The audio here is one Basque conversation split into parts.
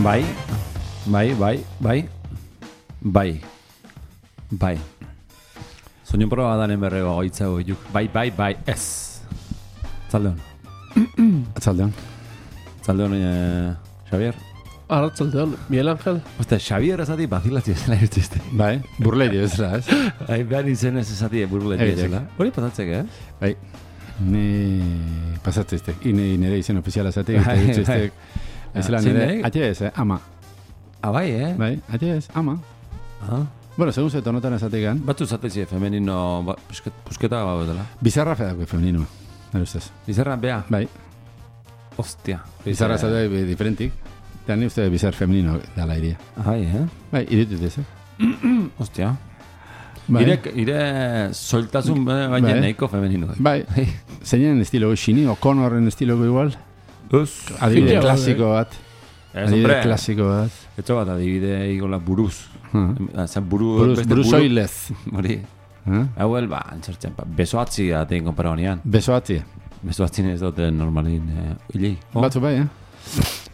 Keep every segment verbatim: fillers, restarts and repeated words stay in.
Bai, bai, bai, bai, bai, bai. Soinu proba danen berrego goitza goiuk. Bai, bai, bai, ez. Zaldeon. Atzaldeon. Zaldeon, eh, Xavier. Arratzaldeon, Miguel Ángel. Oste, Xavier esati bazilatzi ezela irtziste. Bai, burlerio ezela, ez? Bai, behar izen ez esati burletik ezela. Hori pasatzek, eh? Bai, ni pasatzeztek. Ine nire izen ofiziala zatek, eta irtzeztek. Ezela nire, atxe ez, eh? Ama. Ah, bai, eh? Bai, atxe ez, ama. Ah. Bueno, segun zeto notan ezatekan. Batzu zatezi femenino, ba, pusket, pusketa gau dela. Bizarra fedako femenino, nire ustez. Bizarra, bea? Bai. Ostia. Bizarra zate diferentik. Eta ni uste bizar femenino dala iria. Bai, eh? Bai, iritut ez, eh? Ostia. Bai. Ire, ire soltasun baina Bai. nahiko femenino. Bai, zeinen estilo xini, O'Connorren estiloko igual. Uz. Adibide Fina, klasiko bat. Ez, Adibide hombre. klasiko bat. Etxo bat adibide igola buruz. Uh. Zen buru... Buruz, beste buruz buru- oilez. Hori. Uh. Hauel, ba, antzertzen, ba, besoatzi atein konpara honean. Besoatzi. Besoatzin ez dute normalin eh, hili. Oh? Batzu bai, eh?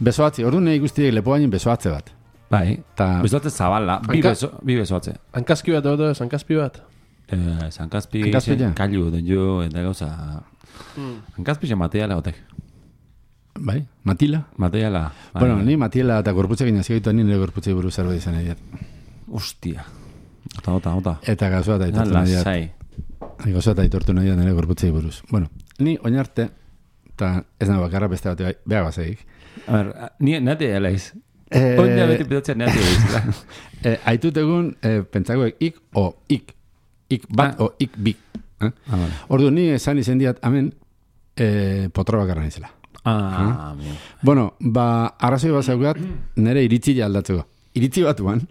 Besoatzi. Orduan nahi guztiek lepo baino besoatze bat. Bai. Ta... Besoatze zabala. Bi, Hanka- beso, bi besoatze. Hankazki bat edo, hankazpi bat. Eh, Zankazpi, Hankazpi ja. kailu den jo, eta gauza... Hankazpi zen materiala gotek. Bai, Matila. Materiala. Bai. Bueno, ni Matila eta gorputzekin azioitu ni nire gorputzei buruz zerbait izan nahi dut. Ostia. Ota, ota, ota. Eta gazoa eta aitortu nahi dut. Lasai. Gazoa eta aitortu nahi dut nire gorputzei buruz. Bueno, ni oinarte, eta ez nahi bakarra beste bat bai, behar bazeik. A ber, ni nate elaiz. Eh, Oina beti pedatzen nate elaiz. eh, aitut egun, eh, pentsakoek ik o ik. Ik bat Ah. o ik bi. Eh? Ah, vale. Ordu ni esan izen diat, hemen, eh, potra bakarra nizela. Ah, bien. Bueno, ba, arrazoi bat zaukat, nire iritzi aldatzeko. Iritzi bat uan,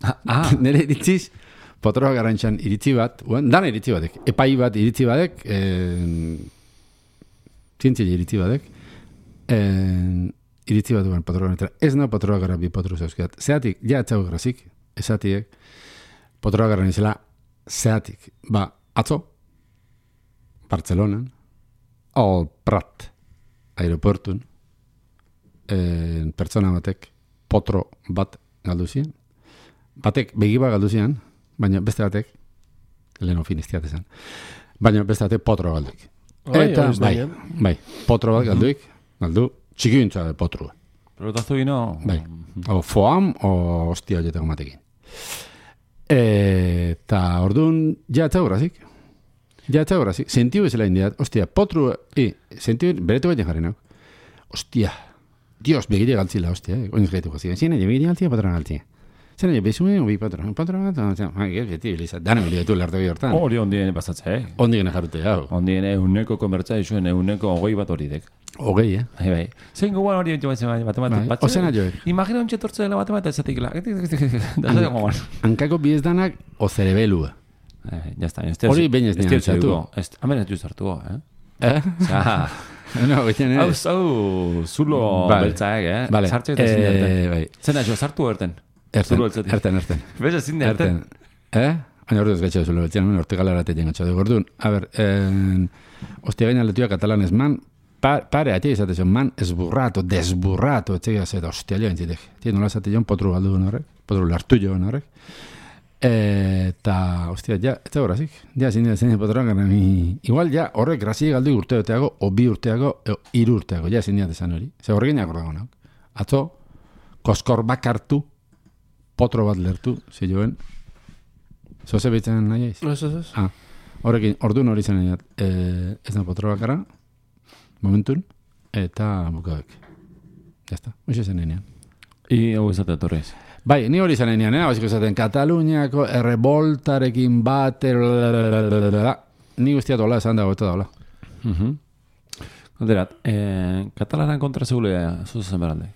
Ah, ah. nire iritziz, potroa garantxan iritzi bat, uan, dana iritzi batek, epai bat iritzi batek, eh, zientzia iritzi batek, eh, iritzi bat uan potroa garantxan. Ez na potroa gara bi potru zauzkiat. Zeatik, ja etxau grazik, ezatiek, potroa garantxela, zeatik, ba, atzo, Bartzelonan, al Prat, aeroportun, eh, pertsona batek potro bat galdu zian. Batek begiba galdu zian, baina beste batek, leheno finiztiat esan, baina beste batek potro galduik. Bai, Eta, hori ez bai, daien. bai, potro bat galduik, galdu, txikintza de potru. Pelotazu gino... Bai, o foam, o hostia horietako matekin. Eta orduan, ja eta horazik. Ja eta horazik. Sentiu bezala indiat, hostia, potru, e, sentiu, beretu baiten jarri nauk. Hostia, Dios, begire galtzila, hostia, eh? Oinez gaitu gazien. Zine, begire galtzila, patroa galtzila. Zine, bezume, obi patroa, patroa, patroa, beti, Elisa, dana miliatu larte bi hortan. Hori ondien pasatze, eh? Ondi gana jarrute, hau. Ondien euneko konbertza izuen euneko ogoi bat hori dek. Ogei, eh? Bai, bai. Zein gogoan hori entzu batzen bat Bai, bat. ozena joek. Imagina ontsi etortze dela bat bat ezatik la. Da zer gogoan. Hankako biez danak, o cerebelua. Eh, ya está. Este Hori behin ez nian txatu. Hemen ez du zartu, eh? Eh? Osea, No, gaitzen, hau, eh? hau, zulo Vale. beltzaek, eh? Vale. Sartxe eta ezin Eh, derten. bai. Zena jo, sartu erten. Erten, Zulo beltzatik. erten, erten. Bez ezin derten. Erten. Eh? Baina orduz gaitxo zulo betxean, orte galarate jengatxo dugu. Orduan, a ber, eh, ostia gaina letuak katalanez man, pa, pare, atia izatezio, man esburrato, desburrato, etxegia zeta, ostia joan zitek. Tia nola zate joan, potru galdu horrek, potru lartu joan horrek. Eta, ostia, ja, ez da horazik. Ja, zin dira zen potroan gara, mi... Igual, ja, horrek grazi galdu urte urteago, o bi urteago, o hiru urteago, ja, zin dira desan hori. Ze horrekin akordago nauk. Atzo, koskor bakartu, potro bat lertu, zi joen. Zoze behitzen nahi aiz? Ez, ez, ez. Ah, horrekin, orduan hori zen nahi, eh, ez da potro bakarra, momentun, eta bukabek. Jazta, hoxe zen nahi. I hau ezate torrez. Bai, ni hori izan enean, eh? Basiko zaten, Kataluniako erreboltarekin bat, ni guztiat hola esan dago, eta dagoela. Galderat, eh, katalanan kontra zegule zuzen beralde.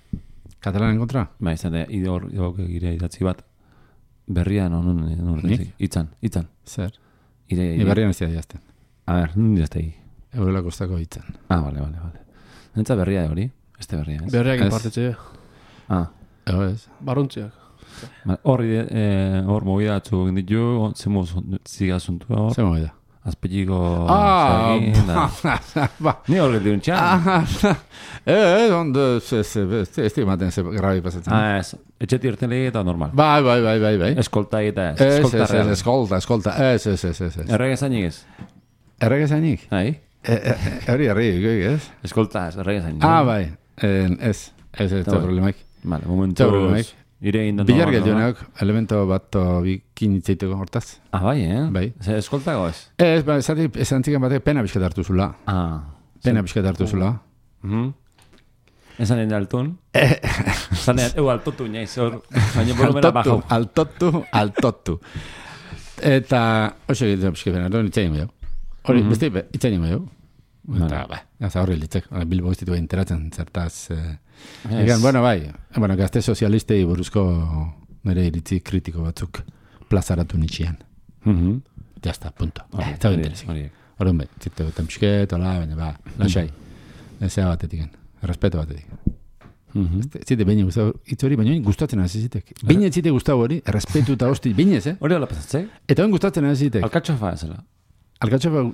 Katalanen kontra? Ba, izan da, idor, idor, gire idatzi bat, berrian, non, non, non, Nik? itzan, itzan. Zer? Ire, Ni berrian ez dira jazten. A ber, nun diztei. Eurela kostako hitzan. Ah, vale, vale, vale. Nentza berria hori, este berria, ez? Berriak Ez. inpartetxe. Ah, Ego ez. Baruntziak. ba, hor, eh, hor movida atzu ditu, zemo zigazuntua hor. Zer mogi da? azpeliko Ah, zegin, da. ba. Ni horret diun txan. Ah, eh, ondo, ez, ez, ez, ez ematen ze grabi pasatzen. Ah, ez, etxeti irten lege eta normal. Bai, bai, bai, bai, bai. Eskolta eta ez, Ez, eskolta ez, ez, real. eskolta, eskolta, ez, ez, ez, ez, ez. Errege zainik ez. Errege zainik? Hai? Hori, herri, ez? Eskolta ez, errege zainik. Ah, bai, eh, ez, ez, ez, Eta ez, bai. problemaik. Vale, momentu. Eta problemaik. Ire egin da Bilar normal, geldu neok, elemento bat bikin itzaiteko hortaz. Ah, bai, eh? Bai. Ze eskoltago ez? Ez, ba, esatik, esan ziken batek pena bizkat hartu zula. Ah. Pena bizkat hartu zula. Mhm. Esan egin altun. Esan egin, eu altotu naiz, hor, baina volumena Altotu, bajo. altotu, altotu. Eta, oso egitea bizkat pena, hori itzain goi. Hori, Mhm. beste, itzain goi. Eta, Vale. ba, ez horri litzek, Bilbo ez ditu enteratzen zertaz. Eh, Ez. Egan, bueno, bai, bueno, gazte sozialistei buruzko nire iritzi kritiko batzuk plazaratu nitxian. Mhm. Ya está, punto. Hori, Eh, Eta hori, interesik. hori. Horren bai, zitte gutan pixket, hola, baina, ba, lasai. Ezea batetik, respeto batetik. Mhm. Zite, baina gustau, hitz hori, baina gustatzen hasi zitek. Baina zite gustau hori, respetu eta hosti, bainez, eh? Hori hola pasatzei? Eta bain gustatzen hasi zitek. Alkatxofa ezela. Alkatxofa,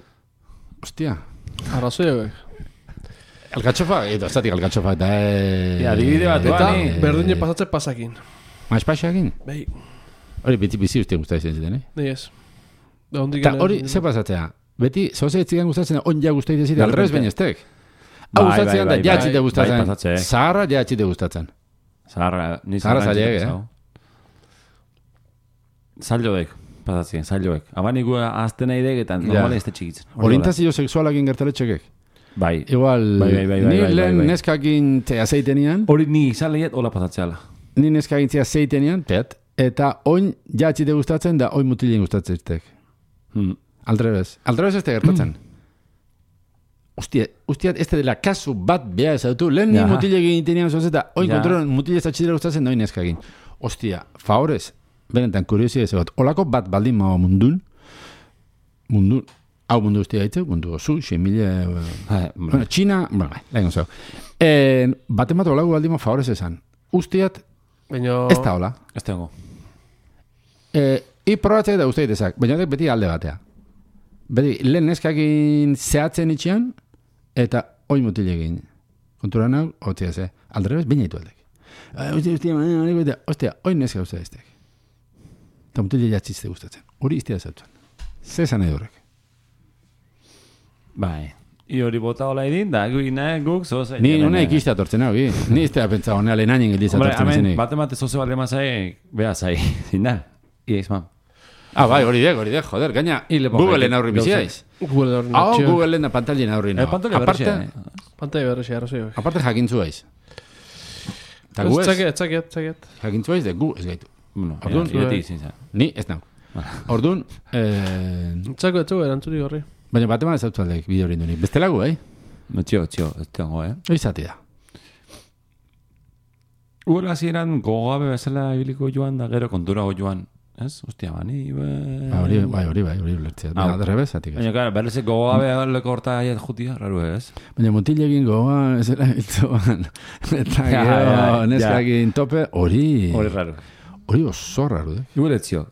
hostia, Arrazoi hauek. alkatxofa, edo, zatik alkatxofa, eta... eh, Ja, adibide bat, Eta Bani. berdine pasatze pasakin. Maizpaxakin? Bai, Hori, beti bizi uste gustatzen ziten, eh? nahi ez. Da hondik Eta hori, ze pasatzea? Beti, zoze etzigan gustatzen, on ja gustatzen zite, De aldrez repente- baina estek. Bai, Hau gustatzen da, bai, bai, ja bai, txite bai gustatzen. pasatze. Zaharra ja txite gustatzen. Zaharra, ni Zaharra zaharra zailek, entzuten eh? zau. Zailoek, pasatzen, zailoek. Abanik azten nahi degetan, Ja. normalen ez da txikitzen. Hori Orientazio sexualakin gertaletxekek. hola. Bai. Igual, Bai, bai, bai, bai, ni bai, lehen bai, bai. neskakin te azeitenian, Hori ni izan lehiet, hola pasatzeala. ni neskakin te azeitenian, pet, eta oin ja txite gustatzen da, oin mutilien gustatzen zitek. Hmm. Aldrebez. Aldrebez ez te gertatzen. Ostia, ostia, ez dela kasu bat beha ezautu. Lehen ni Ja. mutile egin tenian zoz eta oin Ja. kontrolen mutile ez atxidera gustatzen da oin neskakin. Ostia, favorez, benetan kuriosia ez bat. Olako bat baldin maua mundun, mundun, hau mundu ustia haitze, mundu osu, xe mila... Bai, Bueno, China, bueno, bai, lehen gozau. Eh, baten bat olako baldin maua favorez esan. Ustiat, Baina... ez da hola. ez dago. Eh, I probatzea da uste ditezak, baina horrek beti alde batea. Beti, lehen neskakin zehatzen itxian, eta oi mutil egin. Kontura nau, hotzia ze. Aldrebez, baina ditu aldek. Ostia, ostia, ostia, ostia, oi neska uste diztek. Eta mutil jatzizte gustatzen. Hori iztia zautzen. Ze esan edo horrek. Bai. I hori bota hola edin, da, gu ina, guk, zoz... Ni una ikiste atortzen hau, gi. Ni ez da pentsa honea lehenainen gildiz Hombre, atortzen hemen, zenik. bate mate zoze bale mazai, beha zai, zindal. Ia izman. Ah, bai, hori dek, hori dek, joder, gaina, Y le pongo Googleen ahí, aurri gauza. biziaiz. Google hori Hau, natxio. Googleen da pantallien aurri Eh, nago. pantolia berrexea, Aparte, eh? Pantai berresi, arrazoi hauek. aparte jakintzu haiz. Eta gu ez, Tzaket, tzaket, tzaket. jakintzu haiz, de gu ez gaitu. Bueno, Orduan, ja, ireti izin zan. Ni ez nau. Orduan, eh, Tzako etzu erantzurik horri. baina bat eman ez zautu aldeik bideo hori induni. Beste lagu, eh? No, txio, txio, ez tengo, eh? Hoi zati da. Uela hasieran gogabe bezala ibiliko joan da gero konturago joan. Ez? Ostia, bani... Be... Ba, hori, bai, hori, bai, hori ulertzea. Hau. Baina, derrebez, zatik ez. Baina, klar, berrez gogabe leko horta aiet jutia, raru ez? Baina mutil egin gogoan, ez era hiltzoan. Eta Ja, gero, ja, neskakin tope, hori... Hori raru. Hori oso raru, eh? Igual etzio.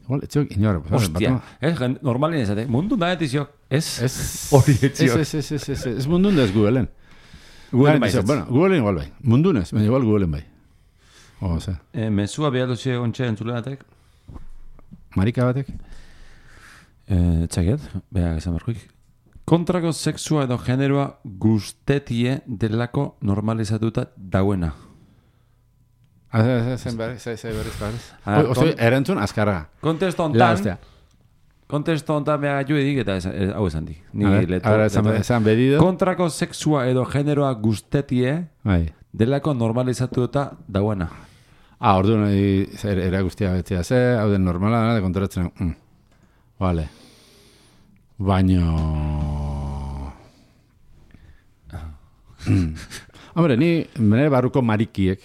Igual, etziok inor. Ostia. Ez, gen- normalin ez, mundu da etiziok. Ez? Ez... Hori Ez, etziok. ez, ez, ez, ez, ez mundun da ez Googleen. Google Bai, baizetz. Bueno, Googleen igual bai. Mundunez, baina igual Googleen bai. O, ze, Eh, mesua behar dutxe ontxe entzuleatek. marika batek? Eh, txaket, beha esan berkuik. Kontrako sexua edo generoa guztetie delako normalizatuta dauena. Ah, ze, ze, zen berriz, ze, ze berriz, berriz. Ah, Oste, kon- erantzun azkarra. Kontesto La, ontan, ostia. kontesto ontan beha gaitu edik eta esan- eh, hau esan di. Ni A ver, leto- a ver, esan, leto- esan bedido. Kontrako sexua edo generoa guztetie Bai. delako normalizatuta dauena. Ah, orduan, e, zer, era guztia betzea ze, hau den normala, da, konturatzen, mm. Vale. Baino... Mm. Hombre, ni, nire barruko marikiek,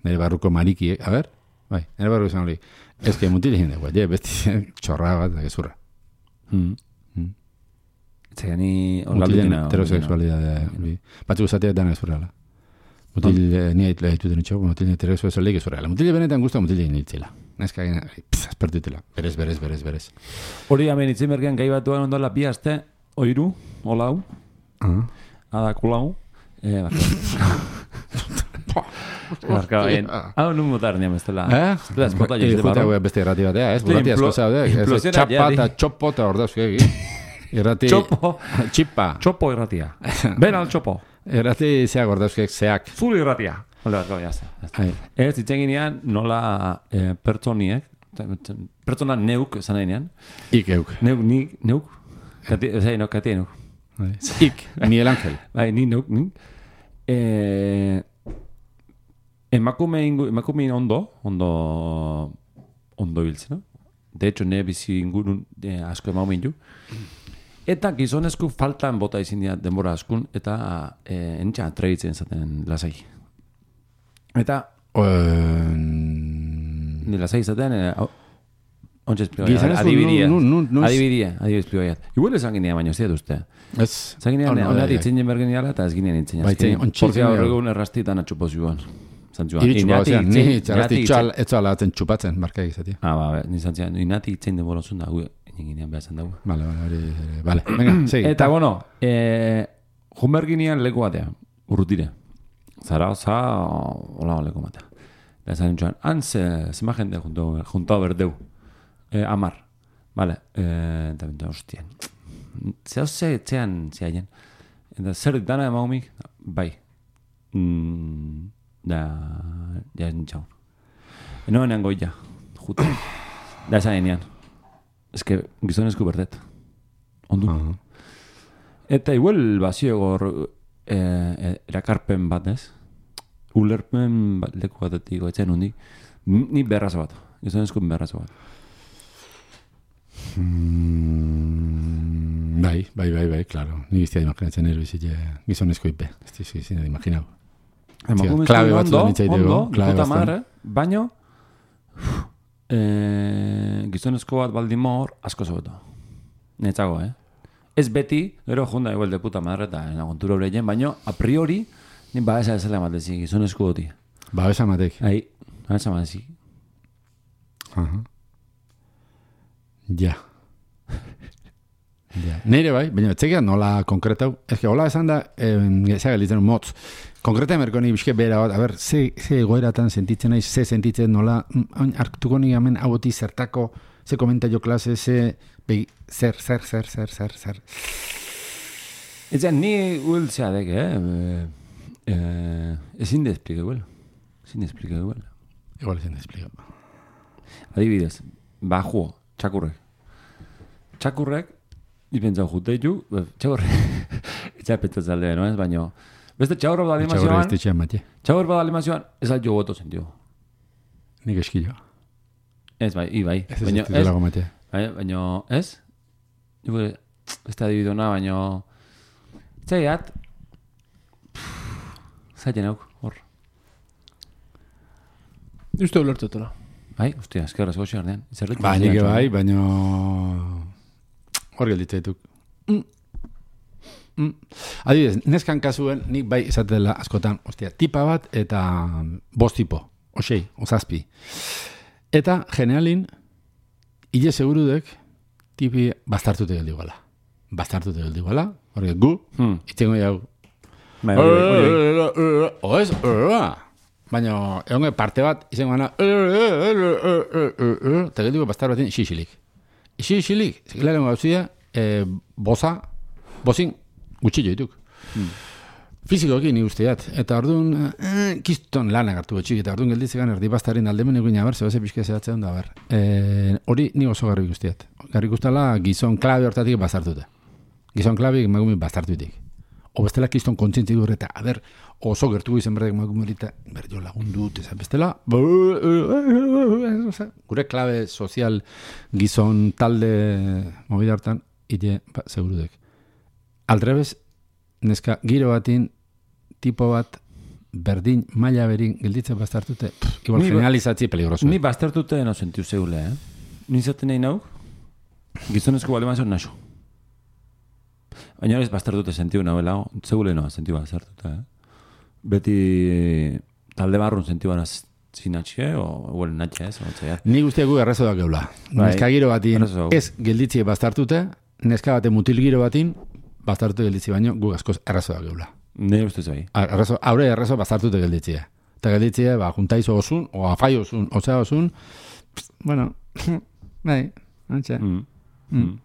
nire barruko marikiek, a ver, bai, nire barruko izan hori, ez que mutil egin dugu, je, besti txorra bat, da, gezurra. Hmm. Mm. Zega ni Mutilen orgalduna. heterosexualidade, hori. Batzu guzatea dana gezurrala. Mutil, eh, ni haitu den itxo, mutil heterosexualidade gezurrala. Mutil benetan guztua mutil egin itzela. neska egin, aspertutela, berez, berez, berez, berez. Hori hemen itzen bergean gai batuan ondola bi aste, oiru, olau, Uh-huh. adakulau, eh, barka bain. Hau nun motar niam estela. Eh? Estela espota Eh, jizte jute barro. hau beste irrati batea, ez? Estela Burrati asko implo- zaude, ez? implosiona Txapa ja, eta di. txopo eta hor dauzke egin. Irrati... Txopo. Txipa. Txopo irratia. Ben al txopo. Irrati zeak hor dauzke zeak. Zul irratia. Hola, barka bain, jazta. Ai. Ez, ditzen ginean, nola eh, pertsoniek, pertsona neuk, esan nahi nean, Ik euk. neuk, ni, neuk, kati, ezai, no, kati neuk. Bai. Ik, Miguel Ángel. Bai, ni neuk, ni. Eh, emakume ingu, emakume ondo, ondo, ondo biltzen, no? De hecho, ne bizi ingurun eh, asko emaumin ju. Eta gizonezku faltan bota izin dira denbora askun, eta eh, entxa atreitzen zaten lasai. Eta, Um, ni lasai zaten, eh, au- ontsa esplikoa. Gizonezko Adibidia. nu- nu- nu- Adibidia, adibidia esplikoa. Igual esan ginean baino, ez dira duzte. ez. Esan ginean, Oh, no, onat bai, itzen jen bergen jala, eta ez ginean itzen. Bai, itzen, ontsi Porque itzen horregun errastitan atxupo zioan. Zantzuan. Iritsu Inati bauzean, itzen- ni txarrasti inati txal, itzen- ez zoala atzen txupatzen, marka egizati. Ah, ba, ni zantzian, inati itzen denbora zuen da, gu, ginean behar zan dago. Vale, vale, hori, vale. Venga, segi. Eta, bueno, eh, junberginean leku batea, urrutire. Zara, za, hola leku batea. Eta esan nintxuan, han ze, zema jende junto, junto berdeu. Eh, amar. Vale, eh, eta bintu, hostien. Zehau ze, etxean, zehaien. Eta zer dana emaumik? Bai. Mm, da, ja nintxaun. Enoenean goia, juta. Da esan enean. Ez que gizonezku berdet. Ondu. Uh-huh. Eta igual bazio gor eh, erakarpen bat, ez? Ulerpen bat, leku batetik goetzen hundi. Ni berrazo bat. Gizonezku berrazo bat. Mm, bai, bai, bai, bai, claro. Ni biztia imaginatzen ero bizit gizonezko ipe. Ez dizu izin da imaginau. Emakumezko klabe batzu ondo, nitzaiteko, ondo, klabe puta bastan. madre, baino eh, gizonezko bat baldimor asko zobeto. Netzago, eh? Ez beti, gero junda igual de puta madre eta nagontura horreien, baino a priori, ni ba esa esela matezi, gizonezko goti. Ba, besa matek. Ai, ba esa matezi. Aha. Ja. Ja. Neire bai, baina etzekia nola konkretau. Ez que hola esan da, eh, zea gelitzen motz. Konkreta emerko ni bizke bera bat, a ber, ze, ze egoeratan sentitzen naiz, ze sentitzen nola, mm, hartuko ni hemen hauti zertako, ze komentario klase, ze, begi, zer, zer, zer, zer, zer, zer. Eta ni huel zeadek, eh? eh, eh ezin de explique huel. Ezin de explique huel. Igual ezin da explica. Adibidez, bajuo, txakurrek. Txakurrek, ipentzau jute ditu, txakurrek, etxa petaz alde, no ez, baino, beste txakurro bat Txagorri alimazioan, estetxean mate. txakurro bat alimazioan, ez al jo goto sentio. Nik eskilo. Ez bai, i bai, Ez ez baino, ez ez, delago mate. bai, baino, ez? Igual, ez da adibidona, baino, txaiat, zaiten auk, hor. Uste ulertutela. Bai, ostia, eskerra zego ardean. Zerretu Ba, nik bai, baino... Hor gelditzetuk. Mm. Mm. Adibidez, neskan kasuen, nik bai esatela askotan, ostia, tipa bat eta bost tipo, osei, ozazpi. Eta, generalin, hile segurudek, tipi bastartute geldi guala. Bastartute geldi guala, horrek gu, Hmm. itzengo jau. Bai, hori bai, hori bai. Oez, baina, egon parte bat, izango gana, eta geldiko bastar batin, isi-isilik. Isi-isilik, zekilearen gauzia, boza, bozin, gutxillo dituk. Hmm. Fizikoki ni usteat. Eta orduan, eh, kiston lanak hartu betxik, eta orduan gelditzekan erdi bastaren aldemen egin abar, zebase pixka zehatzen da, ber. E, hori ni oso garri guztiat. Garri guztala gizon klabe hortatik bastartuta. Gizon klabe emakume bastartutik. O bestela kiston kontzientzik dure, eta, a ber, oso gertuko izan berdek emakumerita, ber, jo lagundut, ezan bestela, gure klabe sozial gizon talde movida hartan, ite, ba, segurudek. Aldrebez, neska, giro batin, tipo bat, berdin, maila berin, gelditzen bastartute, pff, igual Ni ba- generalizatzi peligroso. Ni baztertute no sentiu zeule, eh? Ni zaten nahi nau, gizonezko balemazio naso. Baina ez baztertute sentiu nahuela, zeule no, sentiu baztertute, eh? Beti talde barrun sentiu bana zinatxe, o huelen natxe ez, ontzaiat. Ni guztiak gu errazo da geula. Bai, Neska giro batin, errazo dago. ez gelditzie bastartute, neska bate mutil giro batin, bastartute gelditzi baino, gu askoz errazo da geula. Ne ustez bai. Errazo, haure errazo bastartute gelditzia. Eta gelditzie, ba, juntaizo osun, o afai osun, osea osun, pst, bueno, bai, antxe, Mm. Mm. Mm.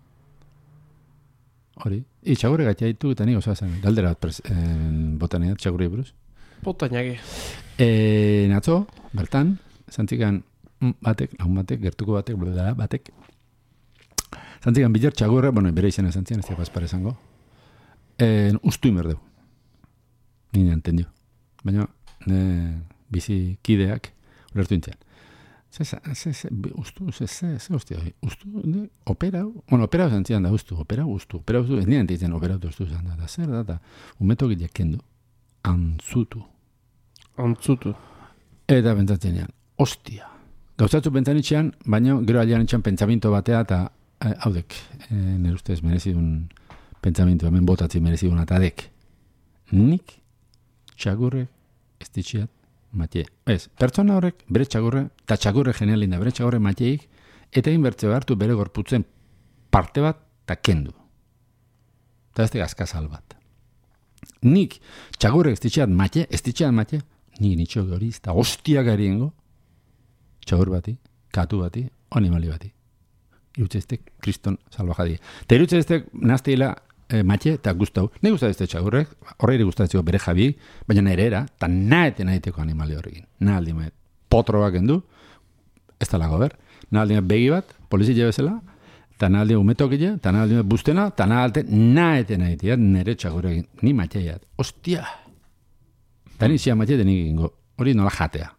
hori. I, txagurre gatiaitu eta nik osoa zen, galdera bat pres, eh, botaneat, txagurri buruz. Puta ñaki. E, natzo, bertan, zantzikan mm, batek, lagun batek, gertuko batek, bla, batek, zantzikan bilar txagurre, bueno, bere izena zantzian, ez da paspare esango, e, ustu inberdeu. Ni entendio. Baina, ne, bizi kideak, ulertu intzean. Ze, ze, ze, ze, ustu, ze, ze, ze, hostia, ustu, ne, operau, bueno, operau zantzian da, ustu, operau, ustu, operau, ustu, ez nien entitzen operau ustu zan da, da, zer da, da, umeto gileak kendu, antzutu. Antzutu. Eta pentsatzen ean, ostia. Gauzatzu pentsanitxean, baina gero alian itxan pentsaminto batea, eta eh, haudek, eh, nire ustez merezidun pentsaminto, hemen botatzi merezidun atadek. Nik txagurre ez ditxiat matie. Ez, pertsona horrek bere txagurre, eta txagurre genialin da, bere txagurre matieik, eta inbertze hartu bere gorputzen parte bat, eta kendu. Eta ez gazkazal bat. Nik txagurre ez ditxiat matie, ez ditxiat matie, nik nitxo hori, eta ostia gariengo, txagur bati, katu bati, animali bati. Irutzeiztek kriston salvajadi. Eta irutzeiztek nazteila e, matxe eta guztau. Ne guztatzea txagurrek, horreire guztatzeko bere jabi, baina nire era, eta naete naiteko animali horrekin. Naldi maet, potro bak endu, ez da lago ber, naldi maet begi bat, polizia bezala, eta naldi maet umetokile, eta naldi maet bustena, eta naldi naete naiteat nire txagurrekin. Ni matxeiat, ostia. Eta ni zia matxe denik ingo, hori nola jatea.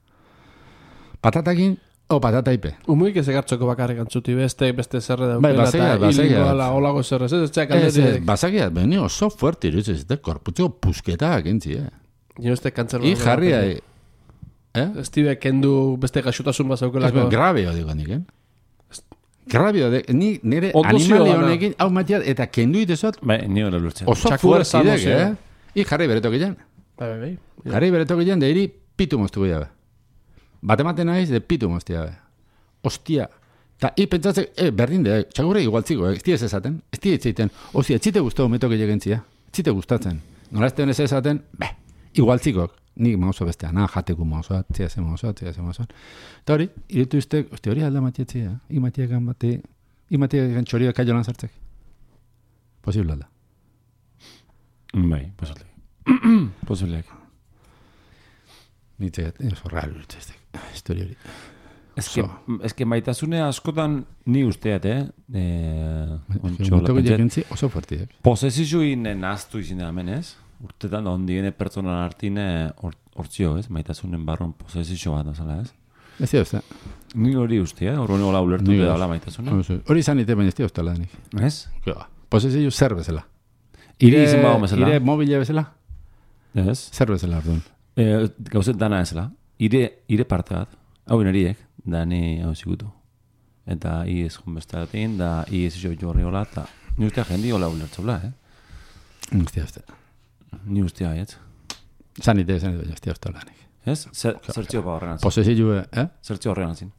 Patatakin, o patataipe. Umuik ez egartzoko bakarrik antzuti beste, beste zerre Bai, daukela, basaia, eta basaia. hilingo ala olago zerrez, ez ez txak Ez, ez, alderik. basakiat, beni oso fuerte iruditzen zite, korputzeko pusketak entzi, eh? Nio este kantzer I jarria, eh? Ez tibe kendu beste gaxutasun Ez bazaukelako. grabeo digo nik, eh? Grabeo, de, ni nire Ondo animali zio, honekin, hau matiat, eta kendu itezot, Bai, ni hori lurtzen. oso Txakur fuerte idek, zio. eh? I jarri beretok ilan. Bai, bai, bai. Jarri beretok ilan, de iri pitu moztuko jabe. Batematen naiz, de pitu moztu jabe. Ostia. Ta, i pentsatzen, eh, berdin de, txagurre igualtziko, eh? Ez tia ez esaten, ez tia etzeiten. Ostia, etxite guztau metok egegentzia. Etxite gustatzen. Nola ez ez esaten, beh, igualtzikok. Nik mauzo bestea, na, jateko mauzoa, tzia ze mauzoa, tzia ze mauzoa. Eta hori, iritu iztek, ostia, hori alda matietzia, i matiekan bate, i matiekan txoria kaio lan sartzek. Posible alda. Bai, posible. Posibleak. Nitzea, oso raro iritu iztek, historia hori. Ez que, ez que maitasune askotan ni usteat, eh? eh ontxo, Motoko lapentxet. jakentzi oso fuertiak. Posesizuin naztu izin da hemen, ez? Urtetan ondiene pertsonan artine hortzio, ez? Maitasunen barron posesizio bat, azala, ez? Ez dira uste. Ni hori uste, eh? Horren hola ulertu Ni dut bai. dala maitasuna. Hori izan ite baina ez dira uste lanik. Ez? Posesio zer bezala. Iri izan bago bezala. Ire mobile bezala? Ez? Zer bezala orduan. E, gauzet dana ezela. Ire, ire parte bat. Hau inariek, da ni hau zikutu. Eta i ez junbestatin, da i ez jo jorri hola, eta ni ustea jendi hola ulertzula, eh? Ez dira uste. Ni ustea haietz. Zan ite, zan ite, ez dira uste lanik. Ez? Zer- Zertzio ba horren atzin. Posesio, eh? Zertzio horren atzin.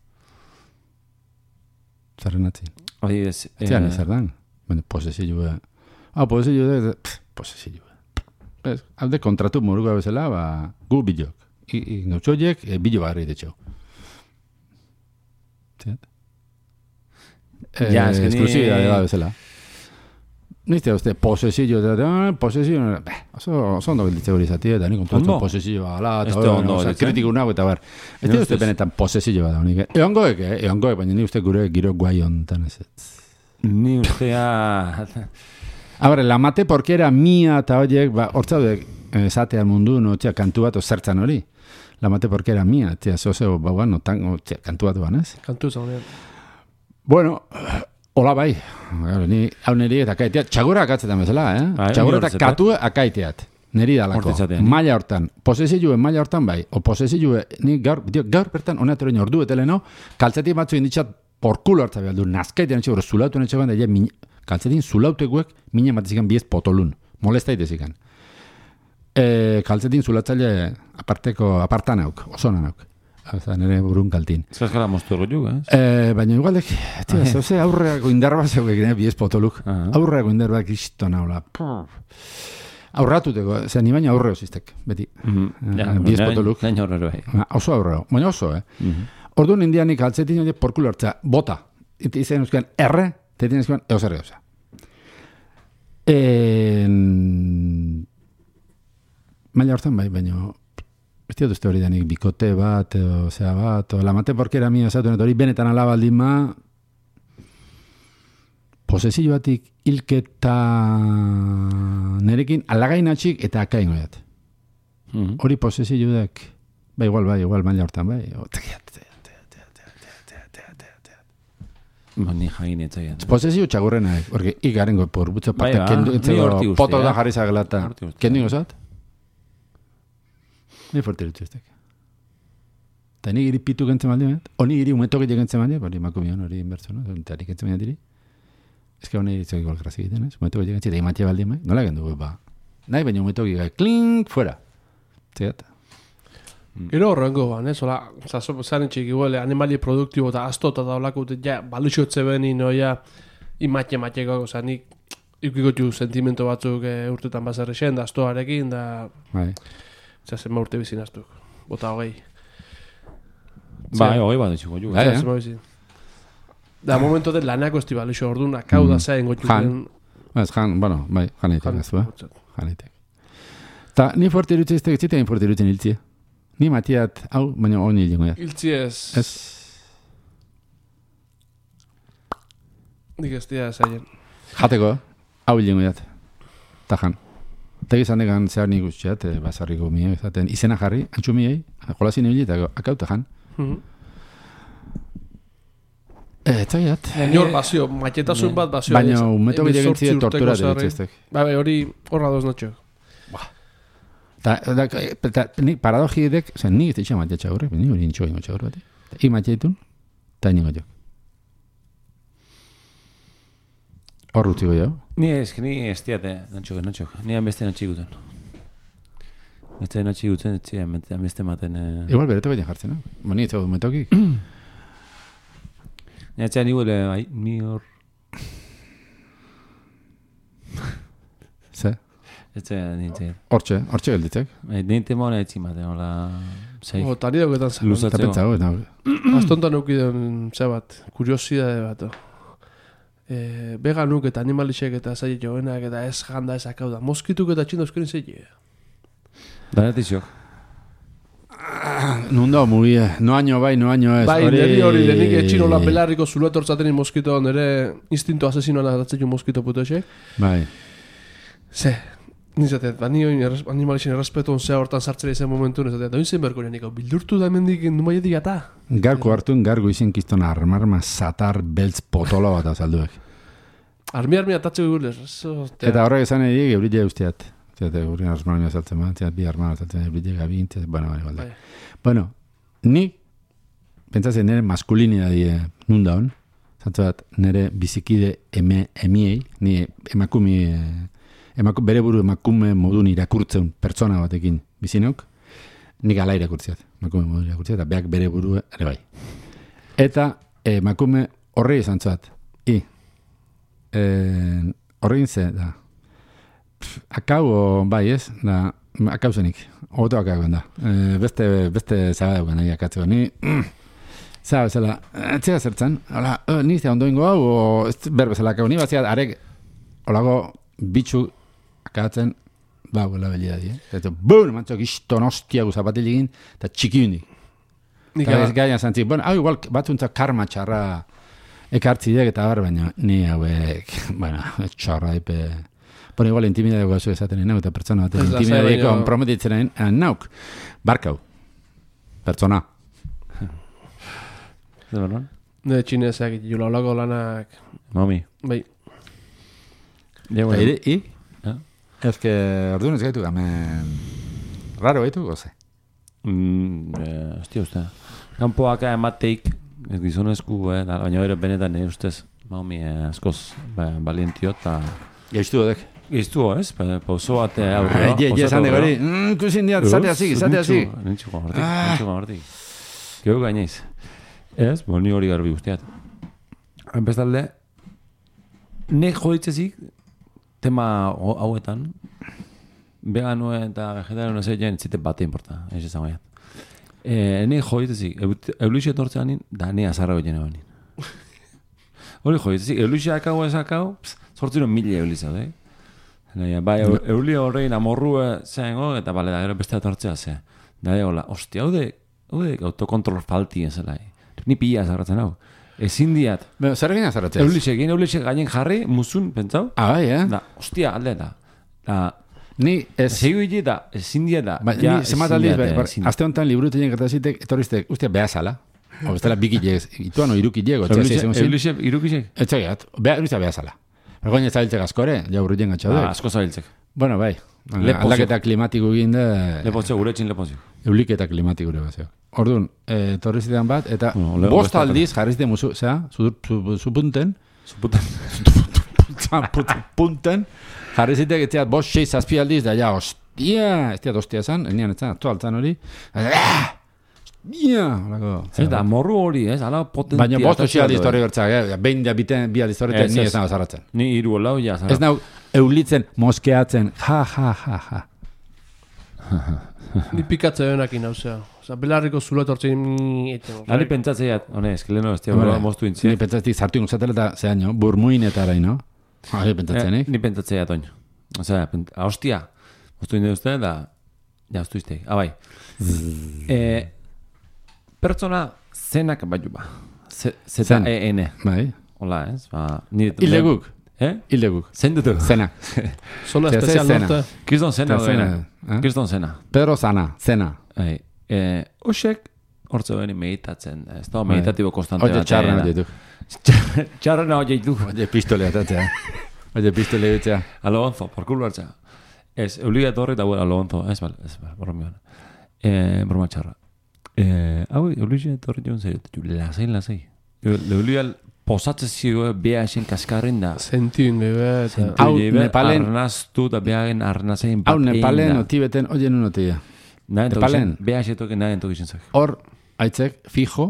Zerren atzin. Hori ez... eh, Zian ez erdan. Bueno, posesio, eh? Ah, posesio, de, posesio. Ez, alde kontratu moruga bezala, ba, gu bilok. I, i gautxoiek, e, bilo barri detxo. Ziat? Eh, Ja, ez que ni- Esklusibidade da bezala. Nizte uste, posesio, da, posesio, beh, oso, oso ondo bilditze hori zati, eta nik kontu Ondo? posesio ala, Ez eta da hori, ondo oza, gelditzen. kritiku nago, eta bar. Ez Ni dira uste ustez. benetan posesio bat da, honik. Eongoek, eh? Eongoek, baina ni uste gure giro guai hontan ez ez. Ni ustea... A ber, la mate porque era mía eta horiek, ba, hortzaudek, esatean mundu, no, tia, kantu bat zertzan hori. La mate porque era mía, tia, zozeo, ba, bueno, tango, tia, kantu bat banez. Kantu zaunean. Bueno, hola bai, Garo, ni hau niri eta akaitea, txagura akatzetan bezala, eh? Bai, Txagura ni eta hortzetan. katu akaiteat, niri dalako. Hortitzatean. Maila hortan, posesio maila hortan bai, o posesio, ni gaur, dio, gaur bertan, honetero ordu eteleno, kaltzetik batzu inditxat porkulo hartza behar du, nazkaitean etxe, bero, zulautu etxe ban, da, ja, min, kaltzetin zulauteguek, mina matizikan biez potolun, molestaitezikan. E, kaltzetin zulatzaile aparteko, apartan auk, osona auk. Oza, nire burun kaltin. Zaskala moztu ergo eh? Eh, baina igualdek, tia, zauze aurreako indarba zeugek, ne, biez potoluk. Aha. Aurreako indarba kisto naula. Aurratuteko, zer, ni baina aurre osiztek, beti. Mhm. Ja, Eh, biez nahi- potoluk. nahi horrero bai. Ah, Oso aurreo, baina oso, eh? Mhm. Orduan indianik altzetin hori porkulo hartza, bota. Eta izan euskaren erre, eta izan euskaren eusarri gauza. En... Maila hortan bai, baina ez diot uste hori denik bikote bat, o zea bat, o lamate porkera mia esatu, hori benetan alabaldin ma, posesio batik hilketa nerekin alagainatxik eta akain goiat. Mhm. Hori posesio dek, bai, igual, bai, igual, maila hortan, bai, o, Ba, ni jagin etzaien. posesio txagurrena, porque igarengo por butzo parte, Bai, ba, kendu, ni etzego, hortik uste, poto da eh? jarri zagela eta, Hortik uste. kendu ingozat? Ni fuerte dut eztek. Eta ni giri pitu gentzen maldi, honi giri umetok egiten gentzen maldi, hori makumion, hori inbertso, no? Eta nik gentzen maldi diri. Ez que honi itzak igual grazi egiten, ez? Umetok egiten gentzen, eta imatxe baldi, nola gendu, ba. Nahi, baina umetok egiten, klink, fuera. Zegat. Gero horrengo ban, ez? Ola, zazo, zaren txik igual, animali produktibo eta asto eta daulako, ja, balutxotze beni, noia, imatxe matxeko, oza, nik ikikotu sentimento batzuk e, urtetan bazarri zen, da astoarekin, da, Bai. oza, zenba urte bizin aztuk, bota hogei. Bai, hogei bat etxiko ju. Bai, Zer, eh? zenba bizin. Da, momento de lanako esti balutxo, orduan, akau da zain gotu. Jan. Ez, jan, bueno, bai, jan eitek, ez du, eh? Jan eitek. Ta, ni fuerte irutzen iztek, ez zitein fuerte irutzen hiltzie. Ni matiat, hau, baina honi hilengo da. Iltzi ez, Ez, nik ez dira zaien. jateko, hau hilengo da. Ta jan. Eta izan degan zehar nik guztiat, eh, basarriko mie, ezaten, izena jarri, antxu miei, jolazin ibili, eta akau ta jan. Mhm. Eh, eta giat. Inor bazio, maketasun bat bazio. Baina, ez- umeto hemezortzi gile gentzie urteko tortura zarri. deritzeztek. Ba, bai, hori horra doz notxo. Ta, da, eta, ni paradoji edek, oza, ni ez ditxa matia txagurrek, ni hori nintxo ingo txagur bat. I matia ditun, eta ningo jo. Hor utziko jo. Ni ez, ni ez diate, nantxok, nantxok. Ni beste nantxik guten. Beste nantxik guten, ez ziren, beste maten... Eh... Igual bereto baina jartzen, no? Ba, ni ez zau metokik. Ni atzean ni huele, bai, ni hor... Ze? Ez ziren, nintzen. Hortxe, hortxe gelditzek. Bai, nintzen mona etzi maten, hola... Zei, O, tari dauketan zan. Eta luzatzeko. pentsago, eta Astontan eukiden, ze bat, kuriosidade bat. E, veganuk eta animalixek eta zaila jovenak eta ez janda ez akau da. Moskituk eta txinda euskaren zeile. Danetizok. nundo muy no año bai, no año ez. Bai, neri hori denik etxinola belarriko zuletortzaten moskito, nire instinto asesinoan adatzen jo moskito putoxek. Bai. Ze, nizatet, ba, ni hori animalixen errespetuan zea hortan sartzera izan momentu, nizatet, da zen berko niko, bildurtu da hemendik numaietik ata. Garko hartun, gargo izin kiston armarma satar beltz potolo bat azalduek. Armi armi atatzeko gulez. Eta horrek esan edik, eurile usteat. Zerate, gurri armarma azaltzen ma, zerate, bi armarma azaltzen, eurile gabint, bueno, bai, bai. Bueno, ni, pentsatzen nire maskulinidadie nunda hon, zantzu bat, nire bizikide eme, emiei, ni emakumi, emaku, bere buru emakume modun irakurtzen pertsona batekin bizinok, nik ala irakurtziat, emakume modun irakurtziat, eta beak bere buru ere bai. Eta emakume horri izan zuat, i, horri ze, da, akau, bai ez, da, akau zenik, oto akau da, e, beste, beste zaba dugu nahi akatzeko, ni, mm, zaba bezala, etzera zertzen, hola, e, ni zea ondoingo hau, o, ez berbezala akau, ni bazia, arek, holago, bitxu akatzen, ba, guela belia di, eh? Eta, bun, mantzok, iston ostia guzapatilegin, eta txiki hundi. Eta ez gaina zantzik, bueno, hau igual, batzuntzak karma txarra ekartzi dek, eta bar, baina, ni hauek, bueno, txarra epe... Bueno, igual intimidadeko gazu esaten nahi, eta pertsona bat, intimidadeko prometitzen nahi, nauk, barkau, pertsona. Ez berron? Ne txinezeak, jula olako lanak... Mami. Bai. Ja, Eta, i? i? Ja. Ez que, orduan ez gaitu, gamen... Raro gaitu, goze? Mm, eh, hostia, uste. Kampoak emateik, ez gizonezku, eh, da, baina bere benetan, eh, ustez, Mami, eh, askoz, ba, balientio, eta... Gaiztu dek. Giztu, ez? Pa, pauso bat aurrera. Je, je, esan degori, ikusin diat, zate hasi, zate hasi. Nintxuko hortik, nintxuko hortik. Geu gaineiz. Ez, bo, ni hori garbi guztiat. Bestalde, nek joditzezik, tema hauetan, veganuen eta vegetarian zeiten zite bate importa, ez esan gaiat. E, nek joditzezik, eulixia tortzean da ne azarra goien egon. Hori joditzezik, eulixia akau ez akau, sortziro mila eulixia, eh? Bai, eulia horrein amorrua zengo, eta bale, da gero beste tortzea ze. Da, hola, ostia, haude, haude autokontrol falti ez zela. Ni pila azarratzen hau. Ezin diat. Zer egin azarratzen? Eulixek, egin eulixek gainen jarri, muzun, pentsau? Ah, bai, eh? Da, ostia, alde da. Da, ni ez... Segu hile da, ezin diat da. Ba, ni zemat aldiz, azte honetan liburuteien gertazitek, etorriztek, ustia, behazala. O, bestela bikilek, ituan o irukilek, Eulixek, irukilek? Etxegat, ustia behazala. Bergoin ez zabiltzek askore, ja urrutien gatxaudek. Ah, asko zabiltzek. Bueno, bai. Aldaketa klimatiko egin da... Lepozio, guretxin lepozio. Euliketa klimatiko gure bazio. Orduan, eh, torrizidean bat, eta bueno, bost aldiz jarrizte musu, zera, zupunten, zupunten, punten, jarrizitek, etxeat, bost, sei, zazpi aldiz, da ja, ostia, ez diat ostia zan, enian etzan, atu altzan hori, Ia, ez da, morru hori, ez, ala potentia. Baina bost osi aldiz torri bertzak, eh? Behin da biten, bi aldiz torri, ni ez nago zarratzen. Ni iru lau ja zarratzen. Ez nago eulitzen, moskeatzen, ja, ja, ja, ja. Ni pikatze benakin hauzea. Osa, belarriko zulo etortzen... Ani pentsatzeiat, hone, eskeleno, ez tia, bera, moztu intziek. Ni pentsatzeik zartu ingozatel eta, zean jo, burmuinetara, no? Ni pentsatzenik. Ni pentsatzeiat, oin. Osea, hostia, moztu inde uste, da, ja, ustu izteik. Ah, bai. Pertsona zenak baiu ba. Zeta E N. Bai. Hola, ez? Hildeguk. Eh? Hildeguk. Zein dutu? Zena. Zona espezial norte. Kriston zena. Kriston zena. Pedro Zana. Zena. Oxek, hortze behini meditatzen. Ez da, meditatibo konstante. Oye, txarra nahi ditu. Txarra nahi ditu. Oye, pistolea tatzea. Oye, pistolea ditzea. Alonso, por culo hartzea. Ez, eulia etorri eta buena, Alonso. Ez, bal, ez, bal, borra miona. Broma txarra. Eh, hau, eulia etorri joan zer, lasai, lasai. Eulia posatze zio, beha esen kaskarren da. Sentiu nebe, eta... Hau, Nepalen... Arnaztu da behagen arnazein bat egin da. Hau, Nepalen, otibeten, oie nun otia. Nepalen. Beha esetoken nahi entokizien zak. Hor, aitzek, fijo,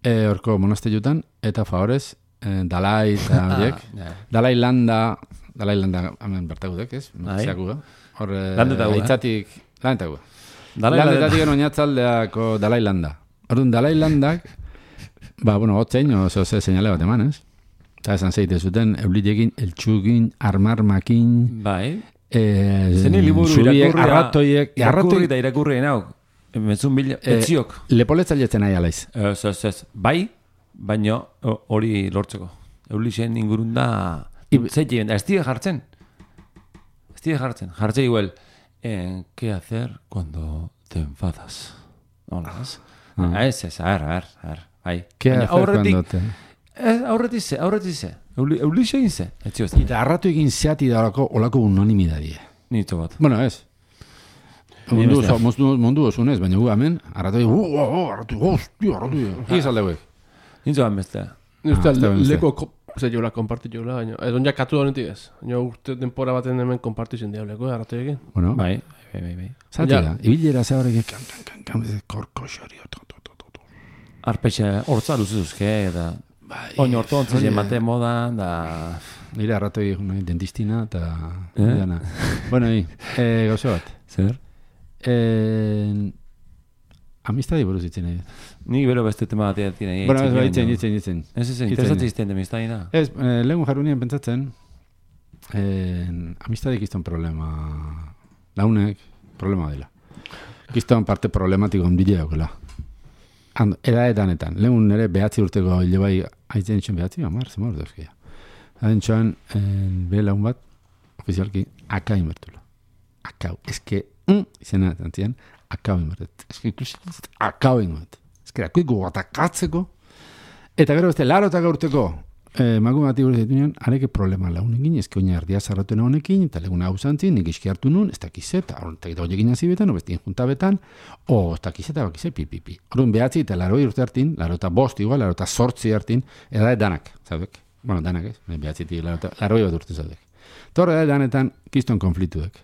horko monastelutan, eta favorez, Dalai eta horiek. Dalai Landa, Dalai Landa, hamen bertagudek, ez? Zeakuga. Hor, aitzatik, landetakuga. Landetatik oinatzaldeako Dalai Landa. Orduan, Dalai Landak, ba, bueno, hotzein, oso ze seinale bat eman, ez? Eta esan zeite zuten, eulidekin, eltsukin, armarmakin... Bai. Zene liburu irakurri... Irakurri eta irakurri enau. Mezun bila... Etziok. Lepoletzailetzen nahi alaiz. Ez, ez, ez. Bai, baino hori lortzeko. Eulixen ingurun da... Zeitien, ez tira jartzen. Ez tira jartzen. Jartzei igual... Eh, ¿qué hacer cuando te enfadas? Hola, ah. Ez, ez, a ver, a ver, a ver, bai. ¿Qué hacer cuando te... Aurretik ze, aurretik ze. Eulixe egin ze. Eta arratu egin zeati da olako, olako unanimidadie. Nito bat. Bueno, ez. Mundu osun ez, baina gu hemen, arratu egin, uh, uh, arratu, hostia, arratu egin. Igi zaldeuek. Nito bat bestea. Nito leko... Zer jola, kompartit jola, baina... Ez onja katu da honetik ez. Baina urte denpora baten hemen kompartitzen diableko, arratu egin. Bueno, bai, bai, bai, bai. Zati da, ibilera ze horrek kan, kan, kan, kan, korko xori, arpexe, hortza luzuzke, eta... Oin hortu ontzaz emate moda, da... Nire arratu egin dentistina, eta... Bueno, gauze bat. Zer? Amistadi buruz ditzen egin. Ni bero beste tema bat egin egin. Bueno, ez baitzen, ditzen, ditzen. Ez ez, interesatzen izten de amistadi da. Ez, lehun jarrunien pentsatzen, amistadik izton problema, launek problema dela. Izton parte problematiko ondile daukela. Edaetanetan, lehun nire behatzi urteko hile bai, haitzen itxen behatzi, amar, zemor duzkia. Haden txoan, be laun bat, ofizialki, aka inbertula. Akau, eske, izena tantzien, akau inbertet. Eske, akau inbertet. Eske, akuiko atakatzeko. Eta gero beste, laro eta gaurteko, magu bati gure zaitu nian, areke problema launekin, eske oina erdia zarratuen honekin, eta leguna hau zantzin, nik iski hartu nun, ez dakizeta, eta honekin azibetan, o bestin juntabetan, o ez dakizeta, bakize, pi, pi, pi. Horren behatzi eta laro urte hartin, laro eta bost igual, laro eta sortzi hartin, edade danak, zaudek? Bueno, danak ez, behatzi ti, laro bat urte zaudek. Eta horre danetan, kiston konflituek.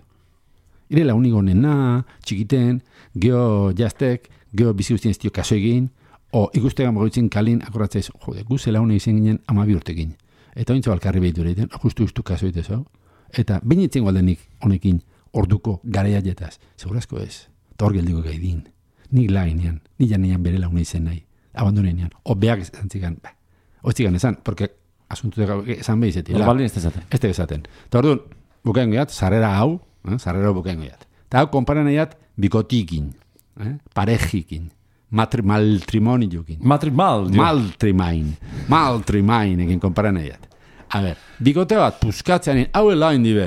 Ire la unigo nena, txikiten, geho jaztek, geho bizi guztien ez dio kaso egin, O ikustegan bagoitzen kalin, akorratzaiz, jode, guzela hone izan ginen amabi urtekin. Eta ointza balkarri behitu egiten, justu-justu kaso egite zau. Eta bain itzen gualdenik honekin orduko gareia jetaz. Segurazko ez. Eta hor geldiko gaidin. Nik laginean, nik janean bere laune izen nahi. Abandonean. O beak zantzikan, ba. Oiztikan esan, porque asuntu esan behi zeti. Baldin ez dezaten. Ez dezaten. Eta orduan, bukaen goiat, sarrera hau, eh? sarrera bukaen goiat. Eta hau konparan goiat, bikotikin, eh? parejikin. Matri, maltrimoniokin. Matrimal. Maltrimain. Maltrimain egin konparan egin. A ber, bikote bat puskatzean, hau elain dibe.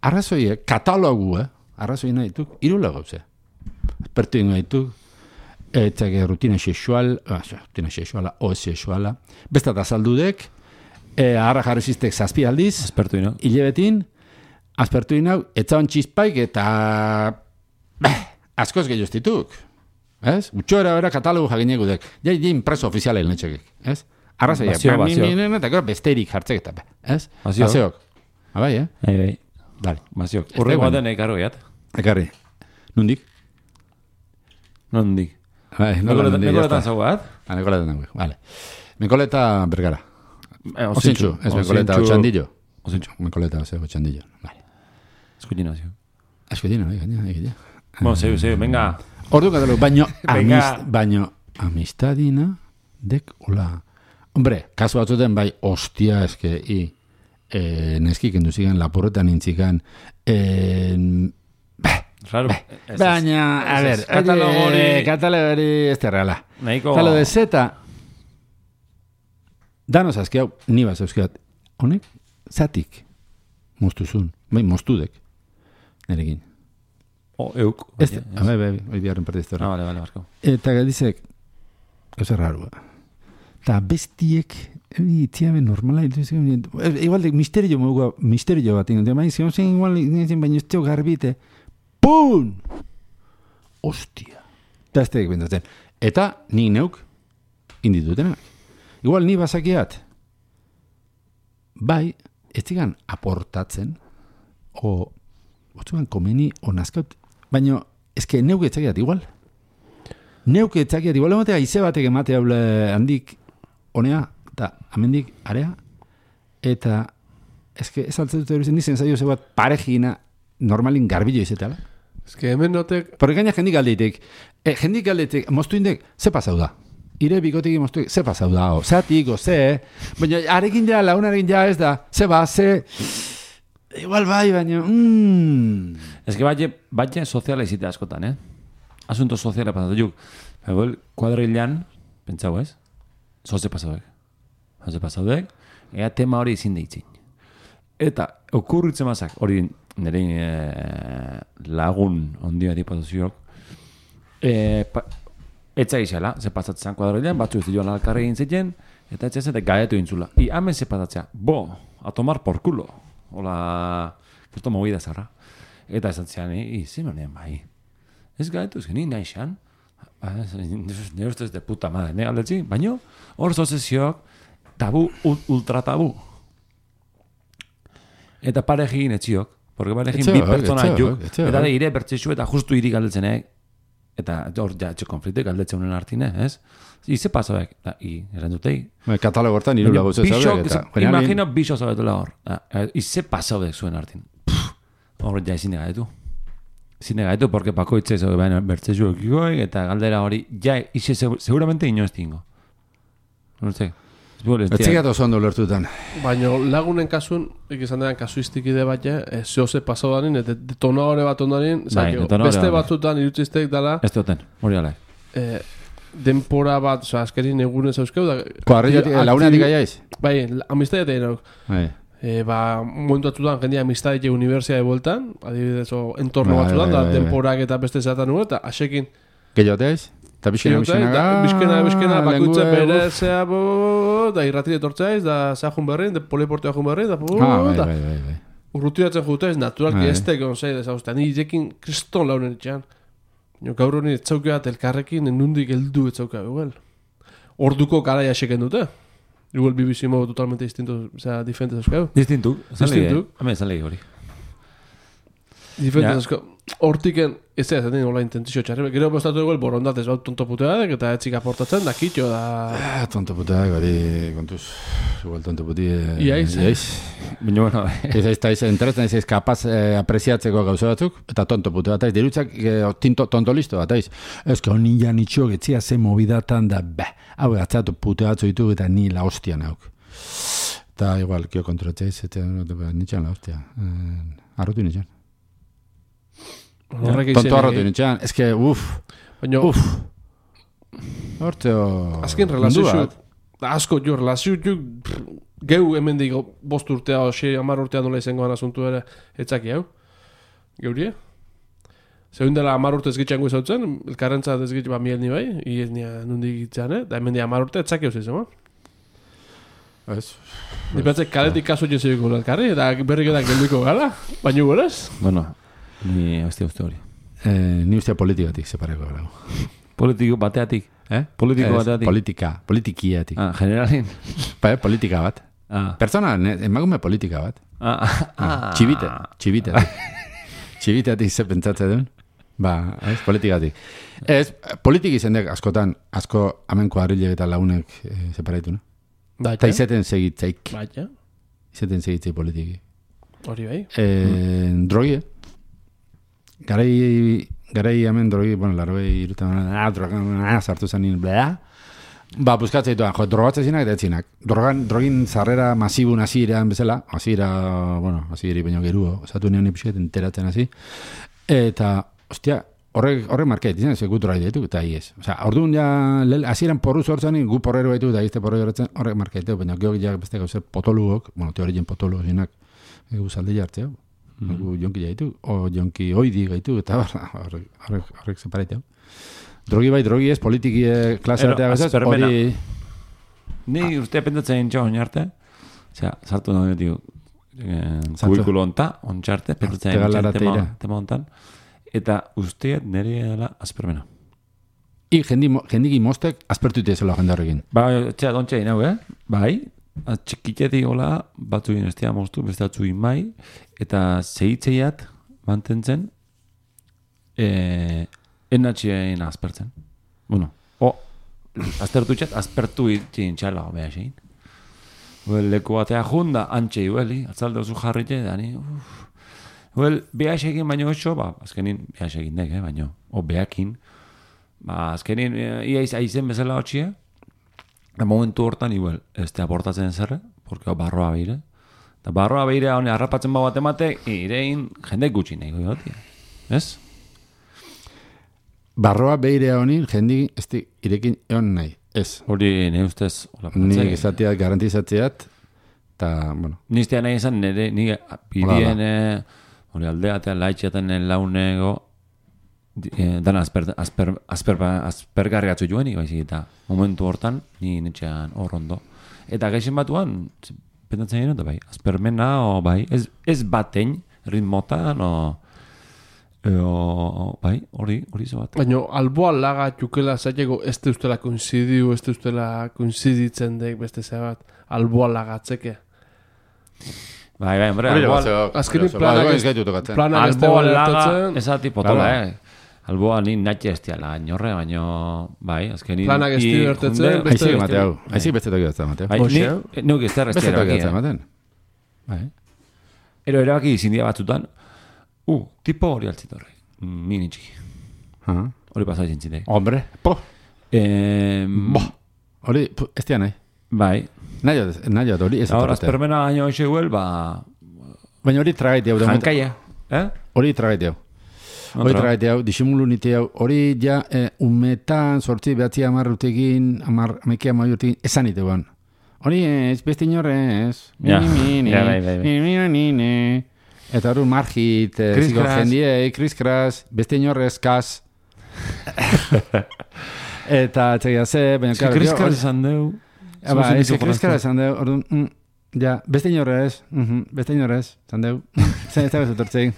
Arrazoie, katalogu, eh? Arrazoi nahi dituk, irula gauze. Espertu ingo dituk, etxake rutina sexual, ah, rutina sexuala, o sexuala. Bestat azaldudek, eh, arra jarrizistek zazpi aldiz. Espertu ino. Hilebetin, aspertu inau, etzaon txizpaik eta... Beh, askoz gehioztituk. Ez? Utxoera bera katalogu jaginek udek. Jai, jai impreso ofizialen netxekek. Ez? Arrazoia. Bazio, bazio. Eta gero besterik jartzek eta be. Ez? Bazio. Baziok. Abai, eh? Ei, ei. Dale. Baziok. Horre guaten ekarro gehat. Ekarri. Nundik? Nondik. Bai, nola nundik. Mekoletan zau bat? Ah, Mekoletan nago. Vale. Mekoleta bergara. Eh, Osintxu. Ez Mekoleta otxandillo. Osintxu. Mekoleta ose otxandillo. Vale. Eskutina, zio. Eskutina, bai, gaina, gaina. Bueno, zeu, zeu, venga. Ordu katalo, baino, amist, baino, amistadina, dek, hola. Hombre, kasu batzuten, bai, ostia, eske, i, eh, neskik enduzigan, laporretan intzikan, eh, beh, Raro. beh, baina, a ver, katalogori, katalogori, ez terrala. Nahiko... Kalo de zeta, danos azki hau, ni bat zeuzkiat, honek, zatik, moztuzun, bai, moztudek, nerekin. O, euk. Ez, bai, bai, bai, biharren partizte Ah, vale, vale, barko. Eta galdizek, gauza rarua. Eta bestiek, itziabe normala, igual de misterio mogu, misterio bat, ingo, bai, zion zen igual, baina ez teo garbite, pun! Ostia. Eta ez tegek bendatzen. Eta ni neuk, inditutenak. Igual ni bazakiat, bai, ez zigan aportatzen, o, botzugan komeni, o nazkaut, baina, eske neuk etzakiat igual. Neuk etzakiat igual, ematea ize batek ematea handik honea, eta amendik area, eta eske ez altzen dut erudizen nizen zaio ze bat parejina normalin garbillo izetela. Eske hemen notek... Porque gaina jendik aldeitek, eh, jendik aldeitek, moztu indek, ze pasau da? Ire bikotik moztu, ze pasau da, o, zatik, o, ze, baina arekin ja, launarekin ja ez da, ze ba, ze... Igual bai, baina... Mm. Ez que batxe, batxe soziala izite askotan, eh? Asunto soziala pasatu juk. Egoel, kuadrilan, pentsau ez? Zoze pasaudek. Zoze pasaudek, ea tema hori izin deitzin. Eta, okurritzen mazak, hori nire e, lagun ondia diputaziok, e, pa, etza izela, ze pasatzen kuadrilan, batzu ez joan alkarri egin ziten, eta etza ez eta gaietu intzula. I hemen ze pasatzea, bo, a tomar por culo. Hola, esto movida zarra. Eta esan zean, i, zimenean bai. Ez gaitu, ez geni nahi xan. Ne ustez de puta madre, ne aldetzi. Baina, hor zozezioak, tabu, ultra tabu. Eta parejin etziok. Porque parejin bi pertsona juk. Eta de ire bertxexu eta justu iri galdetzenek. Eta hor ja, etxe konflikte galdetzen unen hartine, ez? Ize pasoek, da, i, errendutei. Katalogo hortan irula gauze zaudek. Imagino bixo zaudetela hor. Ize pasoek zuen hartin. Hor ja ezin negaetu. Ezin negaetu, porque pakoitze zaude baina bertzezu ekikoek, eta galdera hori, ja, ize seguramente inoz tingo. No sé. Etzigat oso ondo lertutan. Baina lagunen kasun, ikizan dean kasuistik ide bat, eh, zehoze pasau danin, eta detonadore bat ondanin, beste batzutan irutziztek dala... Ez duten, hori alai. Eh, denpora bat, oza, azkerin egunez euskeu da... Koarriatik, launeatik aiaiz? Bai, amistadiatea inauk. Bai. E, ba, momentu batzutan jendia amistadete universiade bueltan, adibidez, o, entorno batzutan, da, denporak eta beste zatan nuen, eta asekin... Gehioteaz? Eta bizkena, bizkena, bizkena, bizkena, bakutze bere, zea, da, irratire tortzaiz, da, zea jun berrein, da, poliportea jun berrein, da, da, urrutiratzen jutaiz, naturalki ez tekon zei, da, zauzta, ni irekin kriston launen itxean. Gaur honi etzaukeat elkarrekin, enundik eldu etzaukeat, igual. Orduko garai aseken dute. Igual B B C modo totalmente distinto, o sea, diferentes euskau. Distintuk. Distintuk. Hemen zan legi hori. Diferentes euskau. hortiken, ez da, ez da, nola intentzio txarri, gero bestatu dugu el borondatez, bau tonto puteadek, eta etxik aportatzen, da kitxo, da... Ah, tonto puteak, hori, kontuz, igual tonto puti... Iaiz. Iaiz. Baina, bueno, Ez ez, ez, enteratzen ez ez kapaz eh, apreziatzeko gauza batzuk, eta tonto pute bat aiz, dirutzak eh, tinto, tonto listo bat aiz. Ez que honi ja nitxo getzia ze movidatan da, beh, hau gatzatu pute batzu ditu eta ni la hostia nauk. Eta igual, kio kontrolatzea ez, eta nitxan la hostia. Eh, arrotu nitxan. Horrek Tonto izen, arrotu nitxan, ez que, uff, baina, uff. Hortzeo... azken relazio xut, asko jo, relazio xut, geu hemen digo, bost urtea, oxe, amar urtea nola izangoan asuntu ere, etzaki hau, geurie? Zeun dela amar urte ezgitxango izautzen, elkarrentza ezgitx ba miel ni bai, iez nia nundik gitzane, da hemen di amar urte etzaki hau zizema. Ez. Ni pentsek kaletik kaso jezibiko elkarri, eta berrik edan geldiko gala, baina goraz? bueno, ni hostia uste hori. Eh, ni ustea politikatik separeko gara. Politiko bateatik. Eh? Politiko Ez, bateatik. Politika, politikiatik. Ah, generalin. Pa, eh, politika bat. Ah. Pertsona, ne- emakume politika bat. Ah, ah. Txibite, txibite. Txibiteatik ze pentsatzen duen. Ba, ez, politikatik. Ez, politik izendek askotan, asko amenko harrilek eta launek e, separaitu, no? Da, Eta izeten segitzeik, Baina, izeten segitzeik politiki. hori bai. E, drogie. Garai, garai hemen drogi, bueno, larroi irutan, ah, drogan, ah, sartu zanin, blea. Ba, buskatzea ditu, jo, drogatzea zinak eta etzinak. Drogan, drogin zarrera masibu nazirean bezala, azira, bueno, aziri baino geruo, osatu neon ipixet enteratzen hasi. Eta, ostia, horrek, horrek market, izan, ze gut drogai ditu, eta iez. Osa, orduan ja, hasieran porru sortzen, gu porrero ditu, eta izte porrero horretzen, horrek market ditu, baina geok ja beste gauzer potolugok, bueno, teorien potolugok zinak, egu zalde jartzea, gu jonki jaitu, o jonki oidi gaitu, eta horrek, horrek, horrek separaitea. Drogi bai, drogi ez, politiki klase Ero, artea gazaz, aspermena. hori... Ni uste pendatzen intxo oinarte. Osea, sartu nahi ditu Sartu. kubikulo onta, ontxarte, pendatzen Artegalara tema, teira. tema ontan. Eta usteet nire dela aspermena. I jendi, mo- jendiki mostek aspertu itezela jende horrekin. Ba, txea, dontxe inau, eh? Bai, txikitetik hola, batzu inestea moztu, beste batzu mai, eta zehitzeiat mantentzen, eh, enatxien aspertzen. Bueno, o, aztertu txat, aspertu itxin txala, bea xein. Well, leku batea junda, antxe iueli, atzalde oso jarrite, dani, uff. Well, beha xekin baino oso, ba, azkenin, beha xekin dek, eh, baino, o behakin, ba, azkenin, eh, ia iz, aizen bezala hotxia, da momentu hortan, igual, ez te aportatzen zerre, porque barroa beire, eta barroa beire, hone, harrapatzen bau bat emate, irein, jendek gutxi nahi goiotia, ez? Barroa beirea honin, jendi ez di irekin egon nahi. Ez. Hori, ne ustez, hola, Ni pentsai. izatiat, garantizatziat, eta, bueno, Niztea nahi izan, nire, nire, bidien, eh, hori aldeatea, laitxeaten launego, eh, dan asper, asper, asper, aspergarriatzu joan, baizik eta momentu hortan, ni netxean hor ondo. Eta gaixen batuan, pendatzen gero, bai, aspermena, o bai, ez, ez batein, ritmotan, o, o bai, hori, hori zo bat. Baina, alboa laga txukela zaiteko ez te ustela koinzidiu, ez te ustela koinziditzen dek beste zebat, alboa lagatzeke. Bai, bai, hombre, hori alboa, batzuk, azkenik gauza, planak bai, ez- ez gaitu tokatzen. Planak ez alboa te laga, baletatzen, ez ati potola, Claro. eh. Alboa ni natxe ez tiala, inorre, baino, bai, azkenin... Planak ez i- divertetzen, junde- beste- Aizik Mateo, aizik beste toki batza Mateo. Bai, ni, Hoxe. neuk ez terrez Beste tiara toki batza bakia. ematen. Bai. Ero erabaki izindia batzutan, uh, tipo hori altzitorre, ni nitxiki. Aha. Hori pasai zintzite. Hombre, po, Eh, bo, hori, pu, ez tia nahi. bai, Nahi dut, nahi dut, hori ez ahora, atorratea. aspermena baino hoxe huel, ba, Baina hori tragaitea, hau, jankaia, eh? hori tragaitea. Hori Kontra. tragaitea, hau, disimulu nite hau, hori ja, eh, umetan, sortzi, behatzi, amar urtekin, amar, ameki amar urtekin, esan nite guan. Hori ez, beste inorrez, Ja, mi, mi, ja, bai, bai, bai. mi, mi, mi, mi. Eta hori margit, eh, Chris ziko Crash. jendiei, Chris Crash, beste inorrez, kas. Eta, txegia ze, baina, Eske claro, kriskar hori- esan deu. Ah, ba, ez que kriskara esan deu, orduan, mm, ja, beste inorrez, mhm, beste inorrez, esan deu, zen ez da bezutortzei.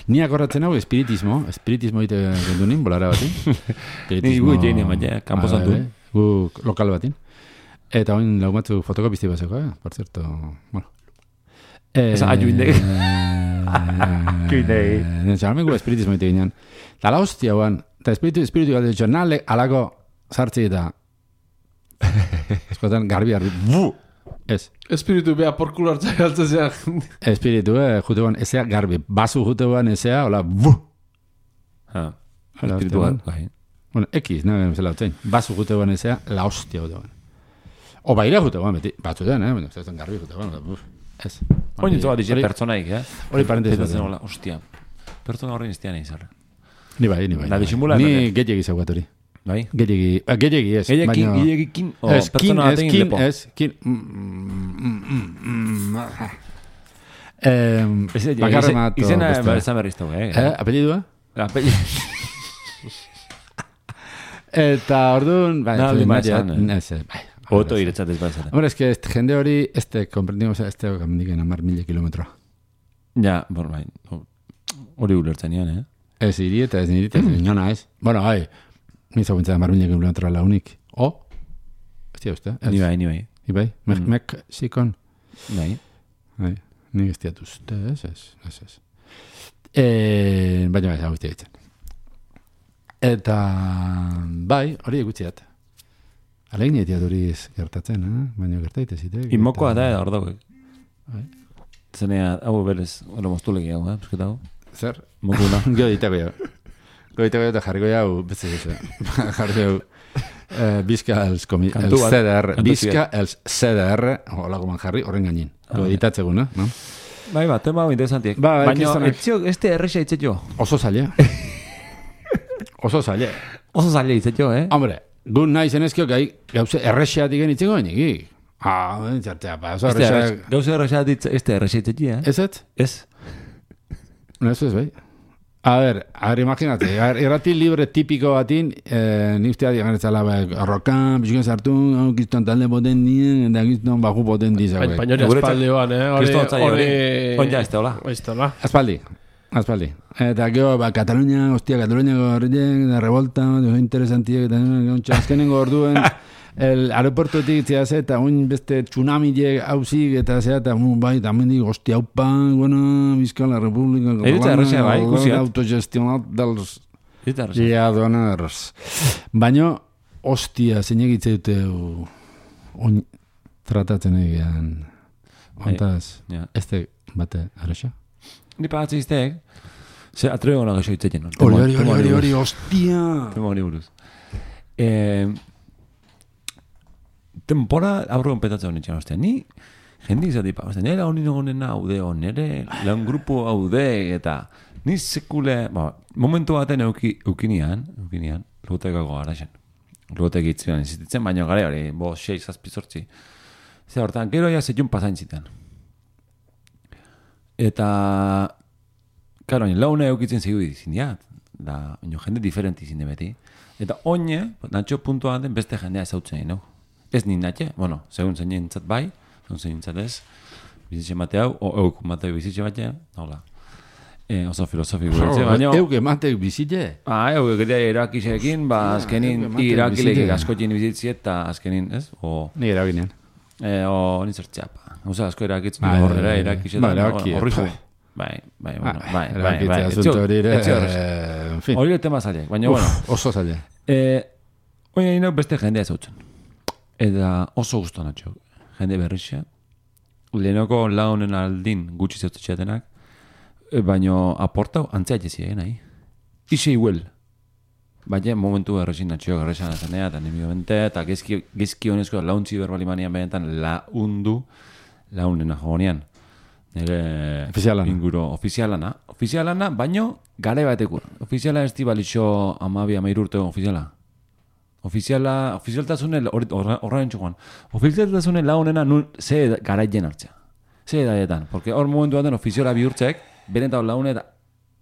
Ni akorratzen hau espiritismo, espiritismo ite gendu nin, bolara batin. Ni gu jeine maia, kanpo Ah, santu. bai, bai, gu lokal batin. Eta oin laumatzu fotokopizti baseko, eh? Por cierto, bueno. Eh, Esa, ayu indek. Kinei. Txalmengu espiritismo ite ginean. Eta la hostia, guan. Eta espiritu, espiritu galde ditxo, nale alako sartzi eta eskotan garbi garbi. Bu! Ez. Espiritu beha porkulo hartzai altzea. Espiritu, eh, jute guan, ezea garbi. Basu jute guan, ezea, hola, bu! Ha. Hola, Espiritu hostia, bat, bai. Bueno, X, nahi, zela hotzein. Basu jute guan, ezea, la hostia jute guan. O baila jute guan, beti. Batzutan, eh? Bueno, ez garbi jute guan, buf. Ez. Oin zoa dize Hori- pertsonaik, eh? Hori parentesi bat. Zen hola, hostia. Pertsona horren iztean izarra. Ni bai, ni bai. Da, ni bai. disimula, Ni berde. gehiagi zaugat hori. Bai? Gehiagi, ah, gehiagi ez. Gehiakin, baina- gehiakin, o Ez, kin, pertsona ez, batekin kin, lepo. ez, kin. Mm, mm, mm, mm, ah. Em, Ez, ez, bakarra izen- mato Izena bestea. ezan berriztau, eh? Eh, apellidua? Apelli... Eta orduan, bai, Nada, pues, lima nadia- esan, eh. ez, eh, bai. Oto iretzat ez bazaten. Hombre, es que este jende hori, este, comprendimos, este gamendiken amar mila kilometro. Ja, bor, bai. Hori ulertzen nian, eh? Ez iri eta ez niri, eta ez inona ez. Bueno, bai, ni zaguntza amar mila kilometro launik. O? Ez tia uste? Ez. Ni bai, ni bai. Ni bai? Mek, Mm. mek, sikon? Bai. Bai, nik ez diat uste, ez, ez, ez, ez. E, baina bai, hau ditzen. Eta, bai, hori egutziat. Alegin etiat hori ez gertatzen, eh? Baina gertaite zitek. Inmokoa da, hor dagoek. Bai. Zenea, hau berez, hori moztulegi hau, eh? Bizketa hau. Zer? Mokuna. Gio ditako jau. Gio ditako jau eta jarriko jau, beste gizu. Jarriko jau. Eh, Bizka els komi... Kantu Els bat. C D R. Kantu Bizka els C D R. Hola goman jarri, horren gainin. Ah, Gio bai. editatzeguna, no? Bai, ba, tema hau interesantiek. Ba, bai, Baina, kristonak- etzio, este erresa itzetio. Oso zaila. Oso zaila. Oso zaila itzetio, eh? Hombre, gu nahi zenezkio gai gauze errexeatik enitzeko gainiki. Ah, txartea, pa, oso Este errexea... erresa- Gauza erresa ditz, este erresa itzetio, eh? Ez ez? Ez. No, eso es, bai. A ver, a ver, imagínate, a ver, irrati libre típico batin, eh, ni ustea digan etzala, arrokan, pixken sartu, oh, kiston talde poten dien, eta kiston baju poten diza, Baina bai. baina hori Guretzat- espaldioan, eh? Hori, Kriston otzaio hori. hori... Oin ja, ez da, hola. Ez da, hola. Aspaldi, aspaldi. Eta gero, ba, Katalunia, hostia, Kataluniako horretik, da revolta, oso interesantiek, eta gontxa, azkenengo orduen, el aeroportotik zea ze, eta oin beste tsunamiek hauzik, eta zea, eta un, bai, tamendik, hostia, haupa, bueno, Bizkaia Republika, Eritza errexea, bai, ikusiat. autogestionat dels Ez da erresa. lladoners. Baina, hostia, zeinek hitz dute, oin tratatzen egean, ontaz, Ja. ez de bate arrexa? Ni pagatze izteek, ze atrego nago xo itzetzen. Hori, hori, hori, hori, hori, hostia! Tema hori buruz. Eh, Tempora aurrean petatzen honen txan, ostia, ni jendik zati pa, ostia, nire honi nagonena haude, o nire lan grupo haude, eta ni sekule, ba, momentu baten euki, eukinian, eukinian, lugotekako garaxen. Lugotek itzuan izitzen, baina gare hori, bo, sei, zazpi, zortzi. Zer hortan, gero ja zetxun pasain zitan. Eta, karo, laune eukitzen zegu izin diat, da, oino, jende diferenti izin de beti. Eta oine, natxo puntua den beste jendea ezautzen egin, no? Ez ni natxe, bueno, segun zein nintzat bai, segun zein nintzat ez, bizitxe mate hau, o euk mate bizitxe batea, hola. E, oso filosofiko gure, baina... Euk ematek bizite? Ah, euk gire irakisekin, ba, azkenin euk ematen irakilek bizite. askotien bizitzi eta azkenin, ez? O, Ni eraginean. e, o, nintzertzea, pa. Osa, asko irakitzen Bai, dira bai, horrela, bai. irakisetan, Ba, erabaki, horri jo. bai. Bai, bai, bueno, Ah, bai, bai, erabakitze bai. asunto hori ere, Etzio horrez. eh, en fin. Hori tema zailek, baina, bueno. Uf, oso zaila. Eh, oina ino beste jendea zautzen. Eta oso gustu natxo. Jende berrixa. Lehenoko launen aldin gutxi zautzitxeatenak. E, baino aportau antzea jezi egin nahi. Ixe iguel. Baina momentu erresin natxo garresan azenea, eta nimi bente, eta gezki, gezki honezko launtzi berbali manian benetan laundu launena jogonean. Nire Ofizialana. inguro ofizialana. Ofizialana, baino gare bateko. Ofiziala ez di balixo amabi amairu urte ofiziala. Ofiziala, ofizialtasune horrean txukoan. Ofizialtasune launena nun ze garaien hartzea. Ze edaietan. Porque hor momentu baten ofiziala bihurtzek, benetau laune eta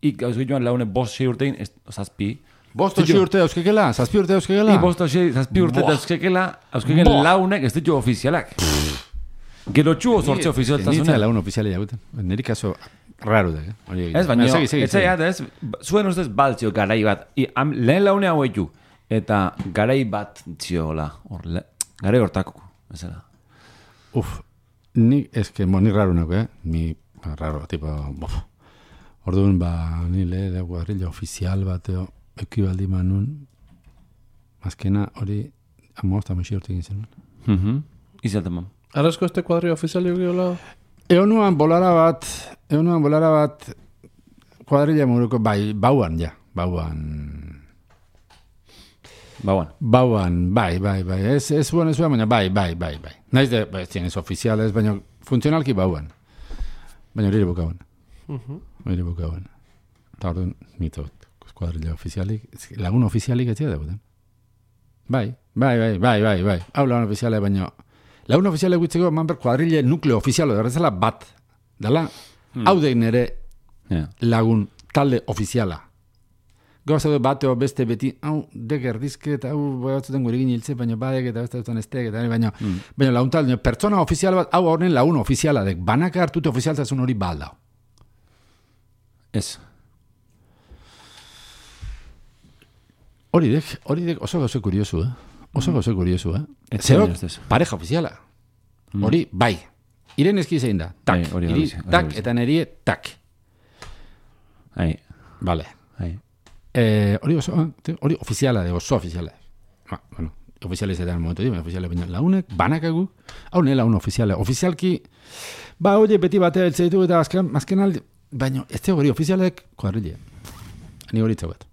ik gauz joan laune bost sei urtein, ez, zazpi. Bost osi urte euskekela? Zazpi urte euskekela? I bost sei, zazpi urte eta euskekela, euskeken Boa. launek ez ditu ofizialak. Gero txuo sortze Nintzen ofizialtasune. laun ofiziale jaguten. Niri kaso raro da, eh? Hori egin. Ez, baina, Segi, segi, ez segi. zaiat, ez, zuen ustez baltzio garai bat. I, am, lehen laune hau etu. Eta garai bat ziola, hor, le, garai hortako, bezala. Uf, ni, es que, mo, ni raro nago, eh? Mi, raro, tipo, bof. Orduan, ba, nile, de guarrilla ofizial bateo, ekibaldi manun, azkena hori, amosta mexi hortik izan. Mhm. Izaten man. Arrezko este kuadrio ofizialio geola? Egon nuan bolara bat, egon nuan bolara bat, kuadrilla muruko, bai, bauan, ja, bauan... Bauan. Bauan, bai, bai, bai, ez, ez buen, ez buen, baina bai, bai, bai, bai. Naiz de, bai, ez ofiziales, baina funtzionalki bauan. Baina hori ere bukauen. Uh-huh. Hori bukauen. Eta orduan, nitot, kuadrilla ofizialik, lagun ofizialik ez zira debuten. Bai, bai, bai, bai, bai, bai. Hau lagun ofiziale, baina lagun ofiziale guitzeko, man ber kuadrille nukleo ofizialo, errezela bat. Dala, hmm. hau dein ere Yeah. lagun talde ofiziala. Gauza du bateo beste beti, hau, dek erdizket, hau, batzuten gure gini hiltze, baina badek eta beste dutan estek, eta baina, mm. baina lagun talde, pertsona ofizial bat, hau horren lagun ofiziala dek, banaka hartute ofizialtasun hori baldao. Ez. Hori dek, hori dek oso gauze kuriosu, eh? Oso Mm. gauze kuriosu, eh? Ez Zerok, ez ez. pareja ofiziala. Mm. Hori, bai. Iren eski zein da, tak, Bai, hori iri, hori, hori tak, hori. eta nerie, tak. Ai, Vale. ai. Eh, hori oso, eh, hori ofiziala de, oso ofiziala. Ba, bueno, ofizializ eta momentu di, ofiziala baina launek, banakagu, hau ne laun ofiziala. Ofizialki, ba, oie, beti batea eltze ditu eta azken, azken aldi, baina ez hori ofizialek kuadrille. Ni hori txauet.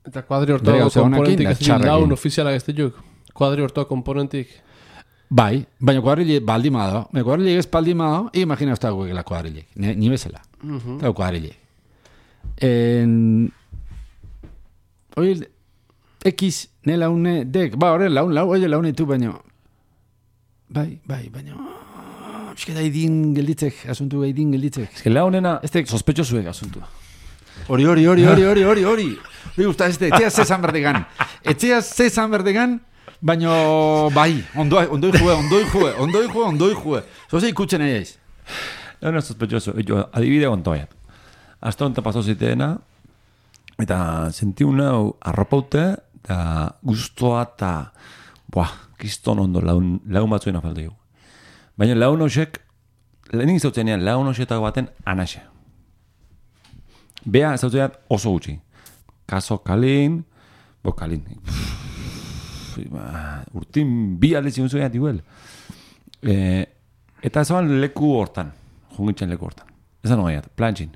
Eta kuadri Bere hortako gauza honekin, komponentik da ez ditu txarrekin. laun ofizialak ez dituk. Kuadri hortako komponentik. Bai, baina kuadrille baldima da. Baina kuadrille ez baldima da, imagina ez dago la kuadrille. Ni, ni bezala. Uh-huh. Eta kuadrille. En... Hori, X, ne laune, dek, ba, horre, laun, lau, oie laune tu, baina... Bai, bai, baina... Eusketa idin gelditzek, asuntu idin gelditzek. Ez que launena, Ez tek- sospechosuek asuntua. Hori, hori, hori, hori, hori, hori, hori. Hori gusta, ez etxea zezan berdegan. Etxea zezan berdegan, baina bai, ondoi, ondoi jue, ondoi jue, ondoi jue, ondoi jue. Zoze ikutzen egeiz. Launa sospechoso. Jo, adibide ontoiat. Hasta onta paso ziteena, eta sentiuna arropaute, eta gustoa eta, buah, kiston ondo laun, laun batzuen afalde dugu. Baina laun hoxek, lehenik zautzenean laun hoxetako baten anaxe. Bea zautzenean oso gutxi. Kaso kalin, bo kalin. Urtin bi alde zigun zuean diguel. E, eta zaban leku hortan, jungitzen leku hortan. Ezan hogeiat, plantxin.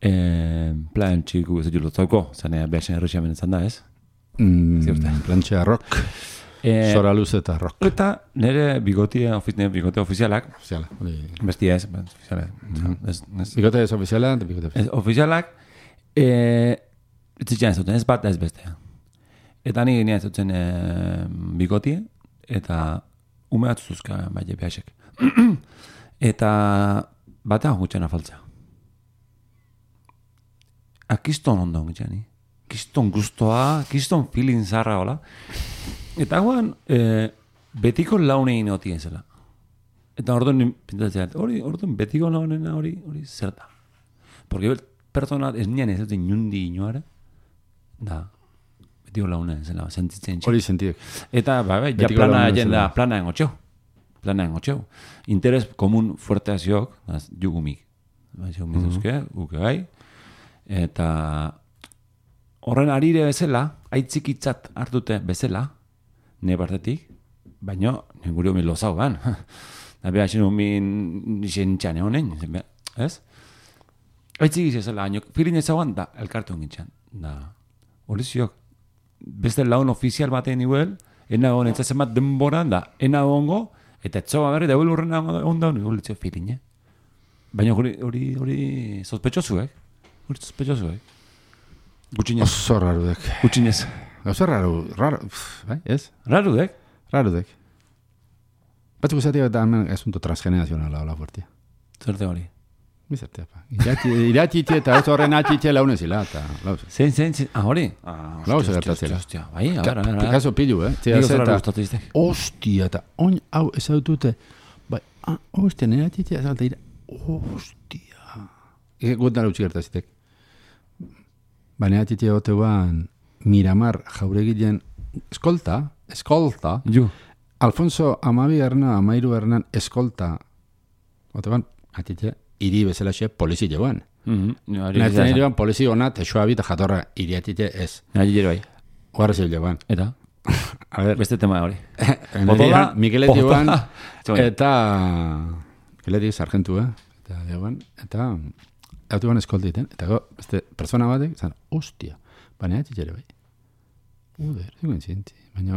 E, plantxiku ez dut lotzauko, zanea behasen errexiamen zan da, ez? Mm, Ziurte. plantxea rock, E, zora luz eta rock. Eta nire bigotia, ofiz, nire bigote ofizialak, Ofiziala. hori. bestia ez, ofizialak, ez, ez, Bikote ez ofiziala, eta bikote ofiziala. ez, ofizialak, e, ez zitzen ez duten, ez bat ez bestea. Eta ni genia ez duten e, bigotie, eta ume batzu zuzka bai behasek. Eta batean gutxen afaltza. Akiston ondo gutxeni. Kiston gustoa, kiston feeling zarra hola. Eta guan, e, betiko launein otien zela. Eta orduan pintatzen, hori, orduan betiko launena hori, hori zer da. Porque pertsona ez nian ez dut inundi inoare, da, betiko launen zela, sentitzen txek. Hori sentiek. Eta, ba, ba, ja Betiko plana launa jenda, zela. plana engotxeu. Plana engotxeu. Interes komun fuerte aziok, jugumik. Ba, jugumik duzke, uke bai. Eta horren arire bezala, aitzikitzat hartute bezala, ne partetik, baina gure homin lozau ban. Da beha zen homin nixen honen, ez? Aitzikiz ezela, haino, filin ezaguan, da, elkartu gintzen. Da, hori ziok, beste laun ofizial batean iguel, ena hon entzatzen bat denboran, da, ena hongo, eta etzoa berri, da huel urrena onda honi, hori litzio filin, eh? Baina hori, hori, hori, sospechosuek, hori sospechosuek. Gutxinez, Oso rarudek. gutxinez. Oso raru, raro, pff, bai, ez? Rarudek? Rarudek. Batzuk esatia eta hemen asunto transgenerazionala hola fuertia. Zerte hori. Bizartea, pa. Iratiti eta ez horren atxitxe launezila, eta lauze. Zein, zein, zein, ah, hori? Ah, Lau hostia, zer hostia, gertatzela. hostia, bai, a ver, a ver, a ver. Kaso pilu, eh? Zia Nik oso zeta, raro gustatu iztek. hostia, eta oin hau ezautute, bai, ah, hostia, nire atxitxe, ezalta ira, hostia. Ike gutan utzi gertazitek. Ba, nire atxitxe oteuan Miramar jauregilen eskolta, eskolta, Ju. Alfonso amabi erna, amairu ernan eskolta, oteuan, atxitxe, hiri bezala xe polizi joan. Nahitzen iriban polizio hona, texoa bita jatorra iriatite ez. Nahi jero bai. Guarra zil joan. Eta? A ver. Beste tema hori. Potola, Mikeleti joan, eta... Mikeleti sargentu, eh? Eta joan, eta... Eta joan eskoltiten, eta go, beste persona batek, zan, hostia, baina ez jere bai. Uder, zikuen zinti. Baina,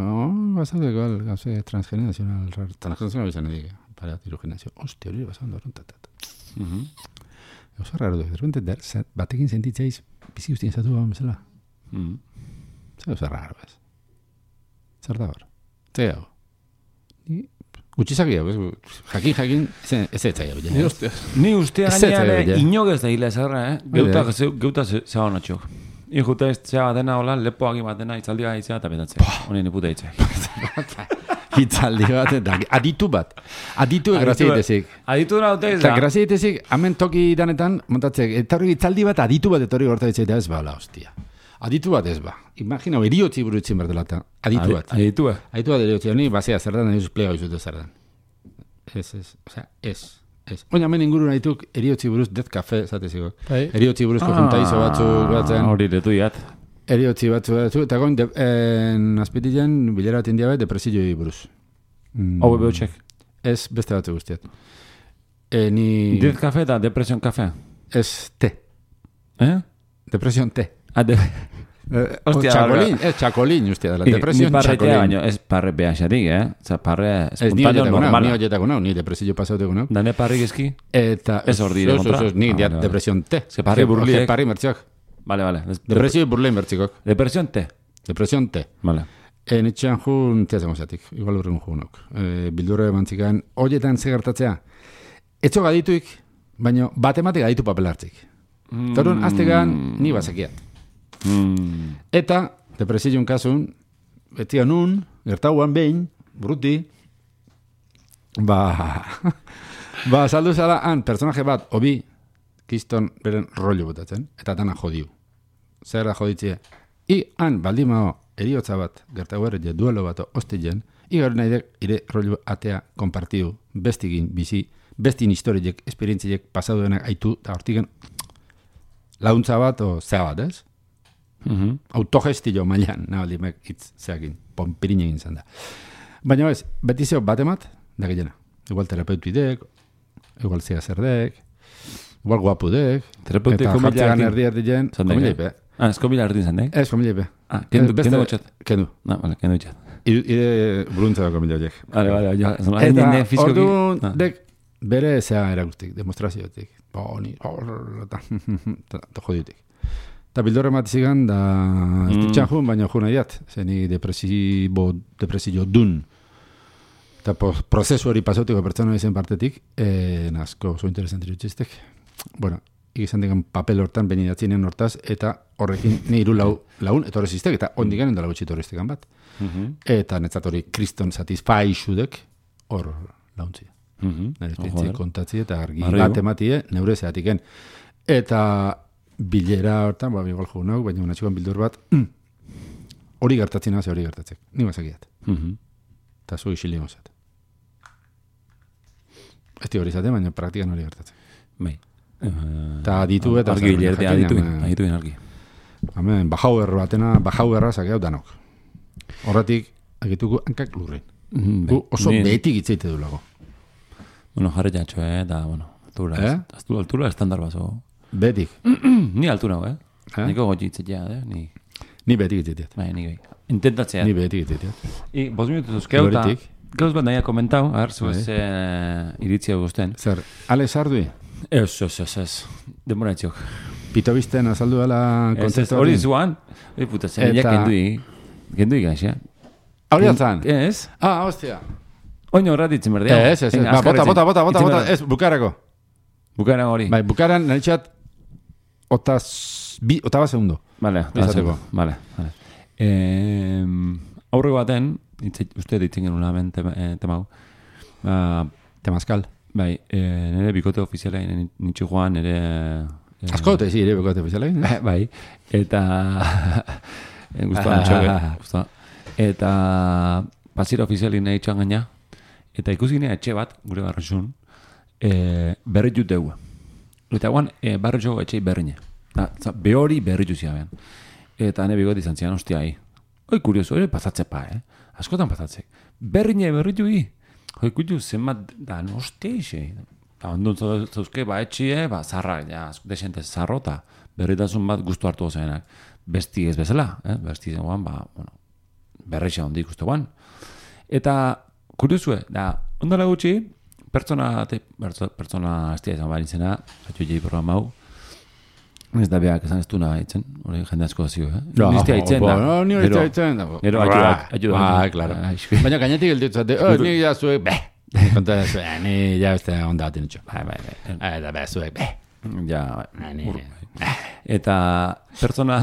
bazaude igual, gauze transgeneracional, transgeneracional bizan edik, para tiru generazio. Hostia, hori bazaude horren, tatata. Oso raro duk, derrente, batekin sentitzeiz, bizi guztien zatu gau bezala. Zer oso raro, bez. Zer da hor. Zer hau. Gutxizak gau, jakin, jakin, ez ez zaigu. Ni ustea. Ni ustea gainean, inogez da hile zerra, eh? Geuta zeba honatxok. Ijuta ez zea batena, hola, lepoak batena, itzaldi bat izea, eta betatzea. Honien iputa itzea. Itzaldi bat, eta aditu bat. Aditu graziaitezik. Aditu da dute ez Eta da. graziaitezik, hemen toki danetan, montatzek, eta hori itzaldi bat aditu bat etorri gorta ditzea, ez ba, la hostia. Aditu bat ez ba. Imagina, eriotzi burutzen berdelata. Aditu bat. Aditu bat. Aditu bat eriotzi, honi, bazea zer dan, ez plega izute zer dan. Ez, ez, osea, ez. Ez. Oina, hemen inguru nahituk eriotzi buruz Death Cafe, zateziko. Eriotzi buruzko juntaizo batzuk batzen. Hori detu iat. Eriotzi batzu batzu, eta goin, azpitilen bilera bat india bat, depresioi buruz. Hau bebe txek. Ez, beste batzu guztiat. E, ni... Death Cafe eta Depression Cafe. Ez, te. Eh? Depresion te. Ah, de... Eh, txakolin, ez, txakolin, ustia dela. Depresion txakolin. Ni parretea baino, ez parre behaxatik, eh? Oza, parre espontano normala. Ni horietako nau, ni depresio pasauteko nau. Dane parrik eski? Eta... Ez hor dire kontra? Ni depresion te. Ez parri burliek. Ez parri mertziok. Vale, vale. Depresio burlei mertzikok. Depresion te. Depresion te. Vale. E, nitxean jun, tia zemozatik, igual urren junok. E, bildurre mantzikan, horietan zegartatzea. Etxo gadituik, baino batematik gaditu papel hartzik. Mm. Torun, aztegan, ni bazakiat. Mm. Eta, depresion kasun, betian nun, gertauan behin, bruti, ba, ba, saldu zala, han, personaje bat, obi, kiston beren rollo botatzen, eta dana jodiu. Zer da joditzea? I, han, baldimao, eriotza bat, gertau erret, duelo bat, ostien, igar nahi dek, ire rollo atea kompartiu, bestigin, bizi, bestin historiek, esperientziek, pasaduenak aitu, eta hortigen, launtza bat, o zea bat, ez? Mm-hmm. Autogestio mailan, nabaldimek hitz zeakin, pompirin egin zan da. Baina ez, beti zeo batemat, da gehiena. Igual terapeutidek, igual zea zerdek, igual guapudek, eta jartzegan erdi erdien, komila ipe. Ah, ez komila erdi zan, Ez, komila ipe. Ah, kendu, kendu botxat. Kendu. Na, vale, kendu botxat. Ide buluntza da komila horiek. Vale, vale, jo. Eta orduan, dek, bere zea erakustik, demostraziotik. Boni, eta jodiutik. Eta bildorre matizigan, da ditxan jun, baina jun nahiat. Zeni depresibo, depresio dun. Eta prozesu hori pasautiko pertsona izen partetik, eh, nazko oso interesanti dutxistek. Bueno, ikizan digan papel hortan, benidatzinen hortaz, eta horrekin niru lau, laun, etorrezistek, eta ondigan endala gutxi etorreztekan bat. Mm-hmm. Eta netzat hori kriston satisfaixudek, hor launtzia. Mm-hmm. Nire kontatzi eta argi bat ematie, neure zeatiken. Eta bilera hortan, ba, igual jo nauk, baina unatxuan bildur bat, hori gertatzen hasi hori gertatzek. Ni bazakiat. Mm-hmm. Eta zu isilin osat. Ez di hori zate, baina praktikan hori gertatzek. Bai. Eta aditu eta... Argi bilerte, aditu adituen argi. Hemen, bajauer batena, bajauerra sakeau danok. Horretik, agituko hankak lurren. Mm, oso ni... behetik itzeite du lago. Bueno, jarre jatxo, eh, da, bueno, altura, eh? Aztu, altura estandar bazo. Behetik. Ni altura, eh? eh? Niko gotxi itzetea, eh? Ni, ni behetik itzeteat. Bai, ni gai. Intentatzea. Ni behetik itzeteat. I, bos minutu zuzkeu, eta... Gauz bat nahi komentau, aher, zuez eh, iritzia guztien. Zer, Ale Sardui? Ez, ez, ez, ez. Demora etziok. Pito bizten azaldu dela kontzeptu hori. Hori zuan. Hori puta, zen, ja kendui. Kendui gaix, ja. Hori antzan? Ez. Ah, hostia. Oino horratitzen berdea. Ez, ez, ez. Ba, bota, bota, bota, bota, bota. Ez, bukarako. Bukaran hori. Bai, bukaran naritxat otaz, bi, otaba segundo. Vale, otaba Vale, vale. Eh, aurreko baten, uste ditzen genuen hemen temau. Temazkal. Bai, nire bikote ofizialein nintxu joan, nire... Askote, zi, nire bikote ofizialein. Bai, eta... Guztua nintxoke, guztua. Eta pasira ofizialein nahi txan gaina, eta ikusi nire etxe bat, gure barraxun, berri jut dugu. eta guan, e, barri txoko etxei berrine. Da, za, behori berri juzia behan. Eta ne bigot izan zian, ostia, hi. Hoi, kurioso, ere pasatze pa, eh? Askotan pasatzek. Berrine berri jui. Hoi, kutu, zenbat, da, ostia ise. Da, ondun zauzke, ba, etxie, ba, zarra, ja, desente zarro, eta berritasun bat guztu hartu gozenak. Besti ez bezala, eh? Besti zen guan, ba, bueno, berreixa ondi ikuste guan. Eta, kuriosue, da, ondala gutxi, pertsona, te, pertsona estia izan barin zena, zatu jei programa hau, ez da behak esan ez du nahi itzen, hori jende asko zio, eh? No, Nistia itzen da. No, ni hori itzen da. Gero, ayuda, ayuda. Ah, claro. Baina gainetik gelditu zate, oh, ni ja zuek, beh. Konta da zuek, ni ja beste onda batin itxo. Bai, bai, bai. Eta beh, zuek, beh. Ja, bai. Eta pertsona...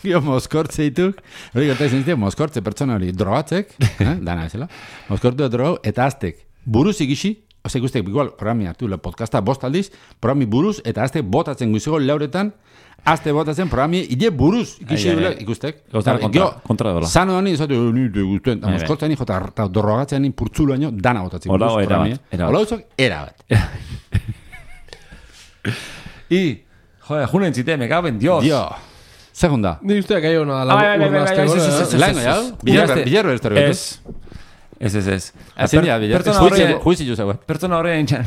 Gio moskortze dituk, hori gerta izan zitea, moskortze pertsona hori drogatzek, eh? Dana ezela, moskortu drogau, eta aztek, buruz ikisi, ose ikustek, igual, programi hartu, podcasta bost aldiz, programi buruz, eta aztek botatzen guizego lauretan, azte botatzen programi, ide buruz ikisi Ai, ai, dula, ai. ikustek. Gauza kontra, kontra dola. Sano honi, izatu, ni te guztuen, Ai, bai. moskortze honi, jota, eta drogatzen honi purtzulo haino, dana botatzen Hola, buruz, era programi. bat, era bat. Hola, uzok, era bat. I, joder, junen zite, me cago en Dios. Dio, segunda. Ni usteak gai hona Ah, bai, bai, bai, bai, ez, ez, ez, ez. Laino, jau? Bilarro ez torri. Ez, ez, ez, ez. Ezin dira, Pertsona juizi horre, juizi juiz hau. pertsona horre entxan,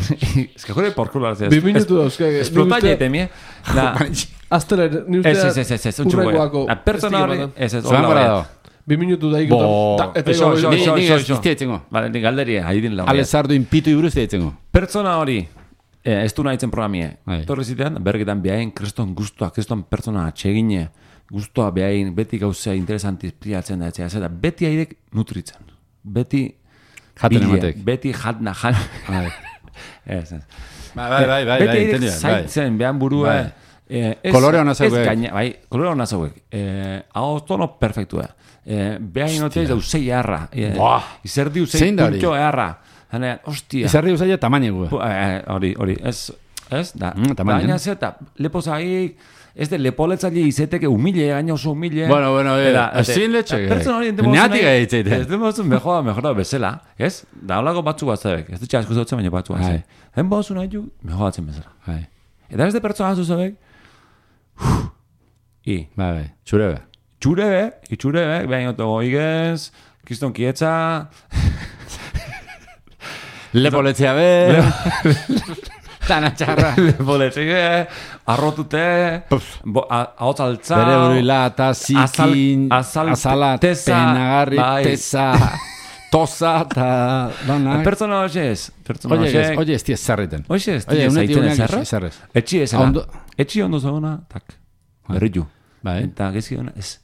ez que jure por culo hartzea. Bi minutu dauzke. Esplota jaite mi, da, Azteler, ni ez, usteak... ez, ez, ez, ez, un txugo. La pertsona horre, ez, ez, Zuan gara dago. Bi minutu da Bo. ikotan. Eta Eso, eso, ego... eso. Ni ez dietzengo. Vale, ni galderia, haidin lau. Ale sardu inpitu iburuz dietzengo. Pertsona hori, eh, ez du nahitzen programie. Bai. Torri zitean, bergetan behain kriston guztua, kriston pertsona atxegine, guztua behain, beti gauzea interesantiz priatzen da, etzea, zeta, beti haidek nutritzen. Beti Jaten bile, ematek. beti jatna, jan... Bai. Ez, ez. Bai, bai, bai, bai, Beti bai, haidek entendian, bai. zaitzen, behan burua... Bai. Eh, ez, Kolore hona zauek. Ez gaina, bai, kolore hona zauek. Eh, hau tono perfektua. Eh, behain notez dau zei eharra. Eh, Buah. Izerdi zei Zein da hori? puntxo eharra. Hanean, hostia. Izarri usaila tamaina gu. Pu- eh, Hori, hori, ez, ez, da. Mm, tamaina. Baina zeta, lepo zaik, ez de lepoletzaile izeteke humile, gaina oso humile. Bueno, bueno, eh, Eta, ezin letxe. Pertsona hori Neatik gaitzeite. Ez demozun mejora, mejora bezala, ez? Da holako batzu bat zabek, ez dutxe asko zautzen, baina batzu bat Bai. zabek. Hen bozun nahi du, mejoratzen bezala. Bai, Eta ez de pertsona zuzabek, i, bai, bai, txurebe. txurebe, itxurebe, behin oto goigez, kiston kietza, Lepoletzea be. Tana txarra. lepoletxe, arrotute, bo- a- ahots altza, Bere buruila, eta zikin, azal- azala, tesa, penagarri, bai. tesa, tosa, eta donak. pertsona hoxe ez, pertsona Oye, ez, hoxe, oye, ez diez zarriten. hoxe ez, Oye, tira unetik zaiten uneak ezerra, ezarrez. etxi ezela, Ondo- etxi ondo zagona, tak, berritu, Bai. eta gezki dona, ez,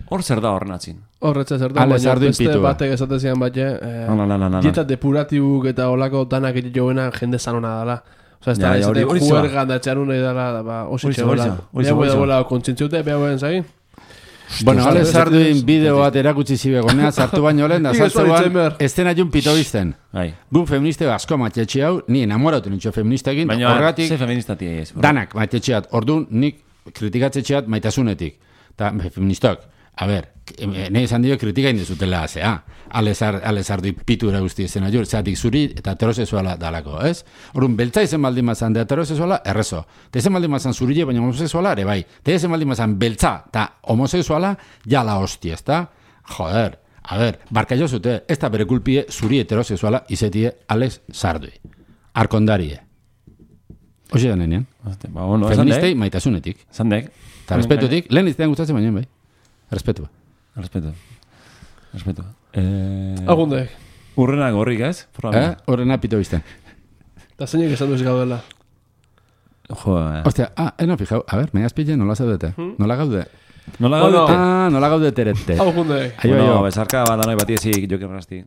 hor zer da horren atzin. Horretza zer da, Ale baina sardu beste inpitu, ba. batek esaten zian bat, eh, No, no, no, no, no. dieta depuratibuk eta olako danak egin joena jende zanona dala. Osa, ez da, Ja, ja, ez hori- da, hori zeba. juergan da txarun nahi dala, da, ba, osi Hori zeba, hori txegoela. zeba, hori Beha zeba, buen hori dagoela kontzientziute, beha buen zagin. Bueno, Hostia, ale ez- sarduin ez- bideo bat erakutsi zibe gonea, sartu baino lehen, da Nik ez sartzean baditzen behar. estena jun pito bizten. Bai. Gun feministe asko matetxe hau, ni enamoratu nintxo feministekin, Baina, horregatik ze feministati ez. danak matetxeat, orduan nik kritikatzetxeat maitasunetik. Ta feministak, a ber, ne esan dio kritika indizutela azea. Alezar, alezardu pitura guzti izena jur, zeatik zuri eta heterosexuala dalako, ez? Orduan, beltza izen baldin mazan de heterosexuala, errezo. Te izen baldin mazan zurile, baina homosexuala, ere bai. Te izen baldin mazan beltza eta homosexuala, ja la hostia, ez da? Joder, a ber, barka jo zute, ez da bere kulpie zuri heterosexuala izetie Alex Sardui. Arkondarie. Hoxe da nenean. Hostia, ba, bueno, esan Feministei dek, maitasunetik. esan dek. Eta respetutik, lehen iztean gustatzen baina, bai. Respetua. Respeto. Respeto. Eh, Agundek. Urrenak horrik, ez? Eh? Programa. Horrena pito bizten. Eta zeinek esan duz gaudela. Jo, eh. Ostia, ah, eno fijau, a ber, megas pille nola zaudete. Nola gaude? Nola Bueno. gaudete? Ah, nola gaude terete. Agundek. Aio, Bueno, aio. besarka bat anoi bati ezik, jokin rasti.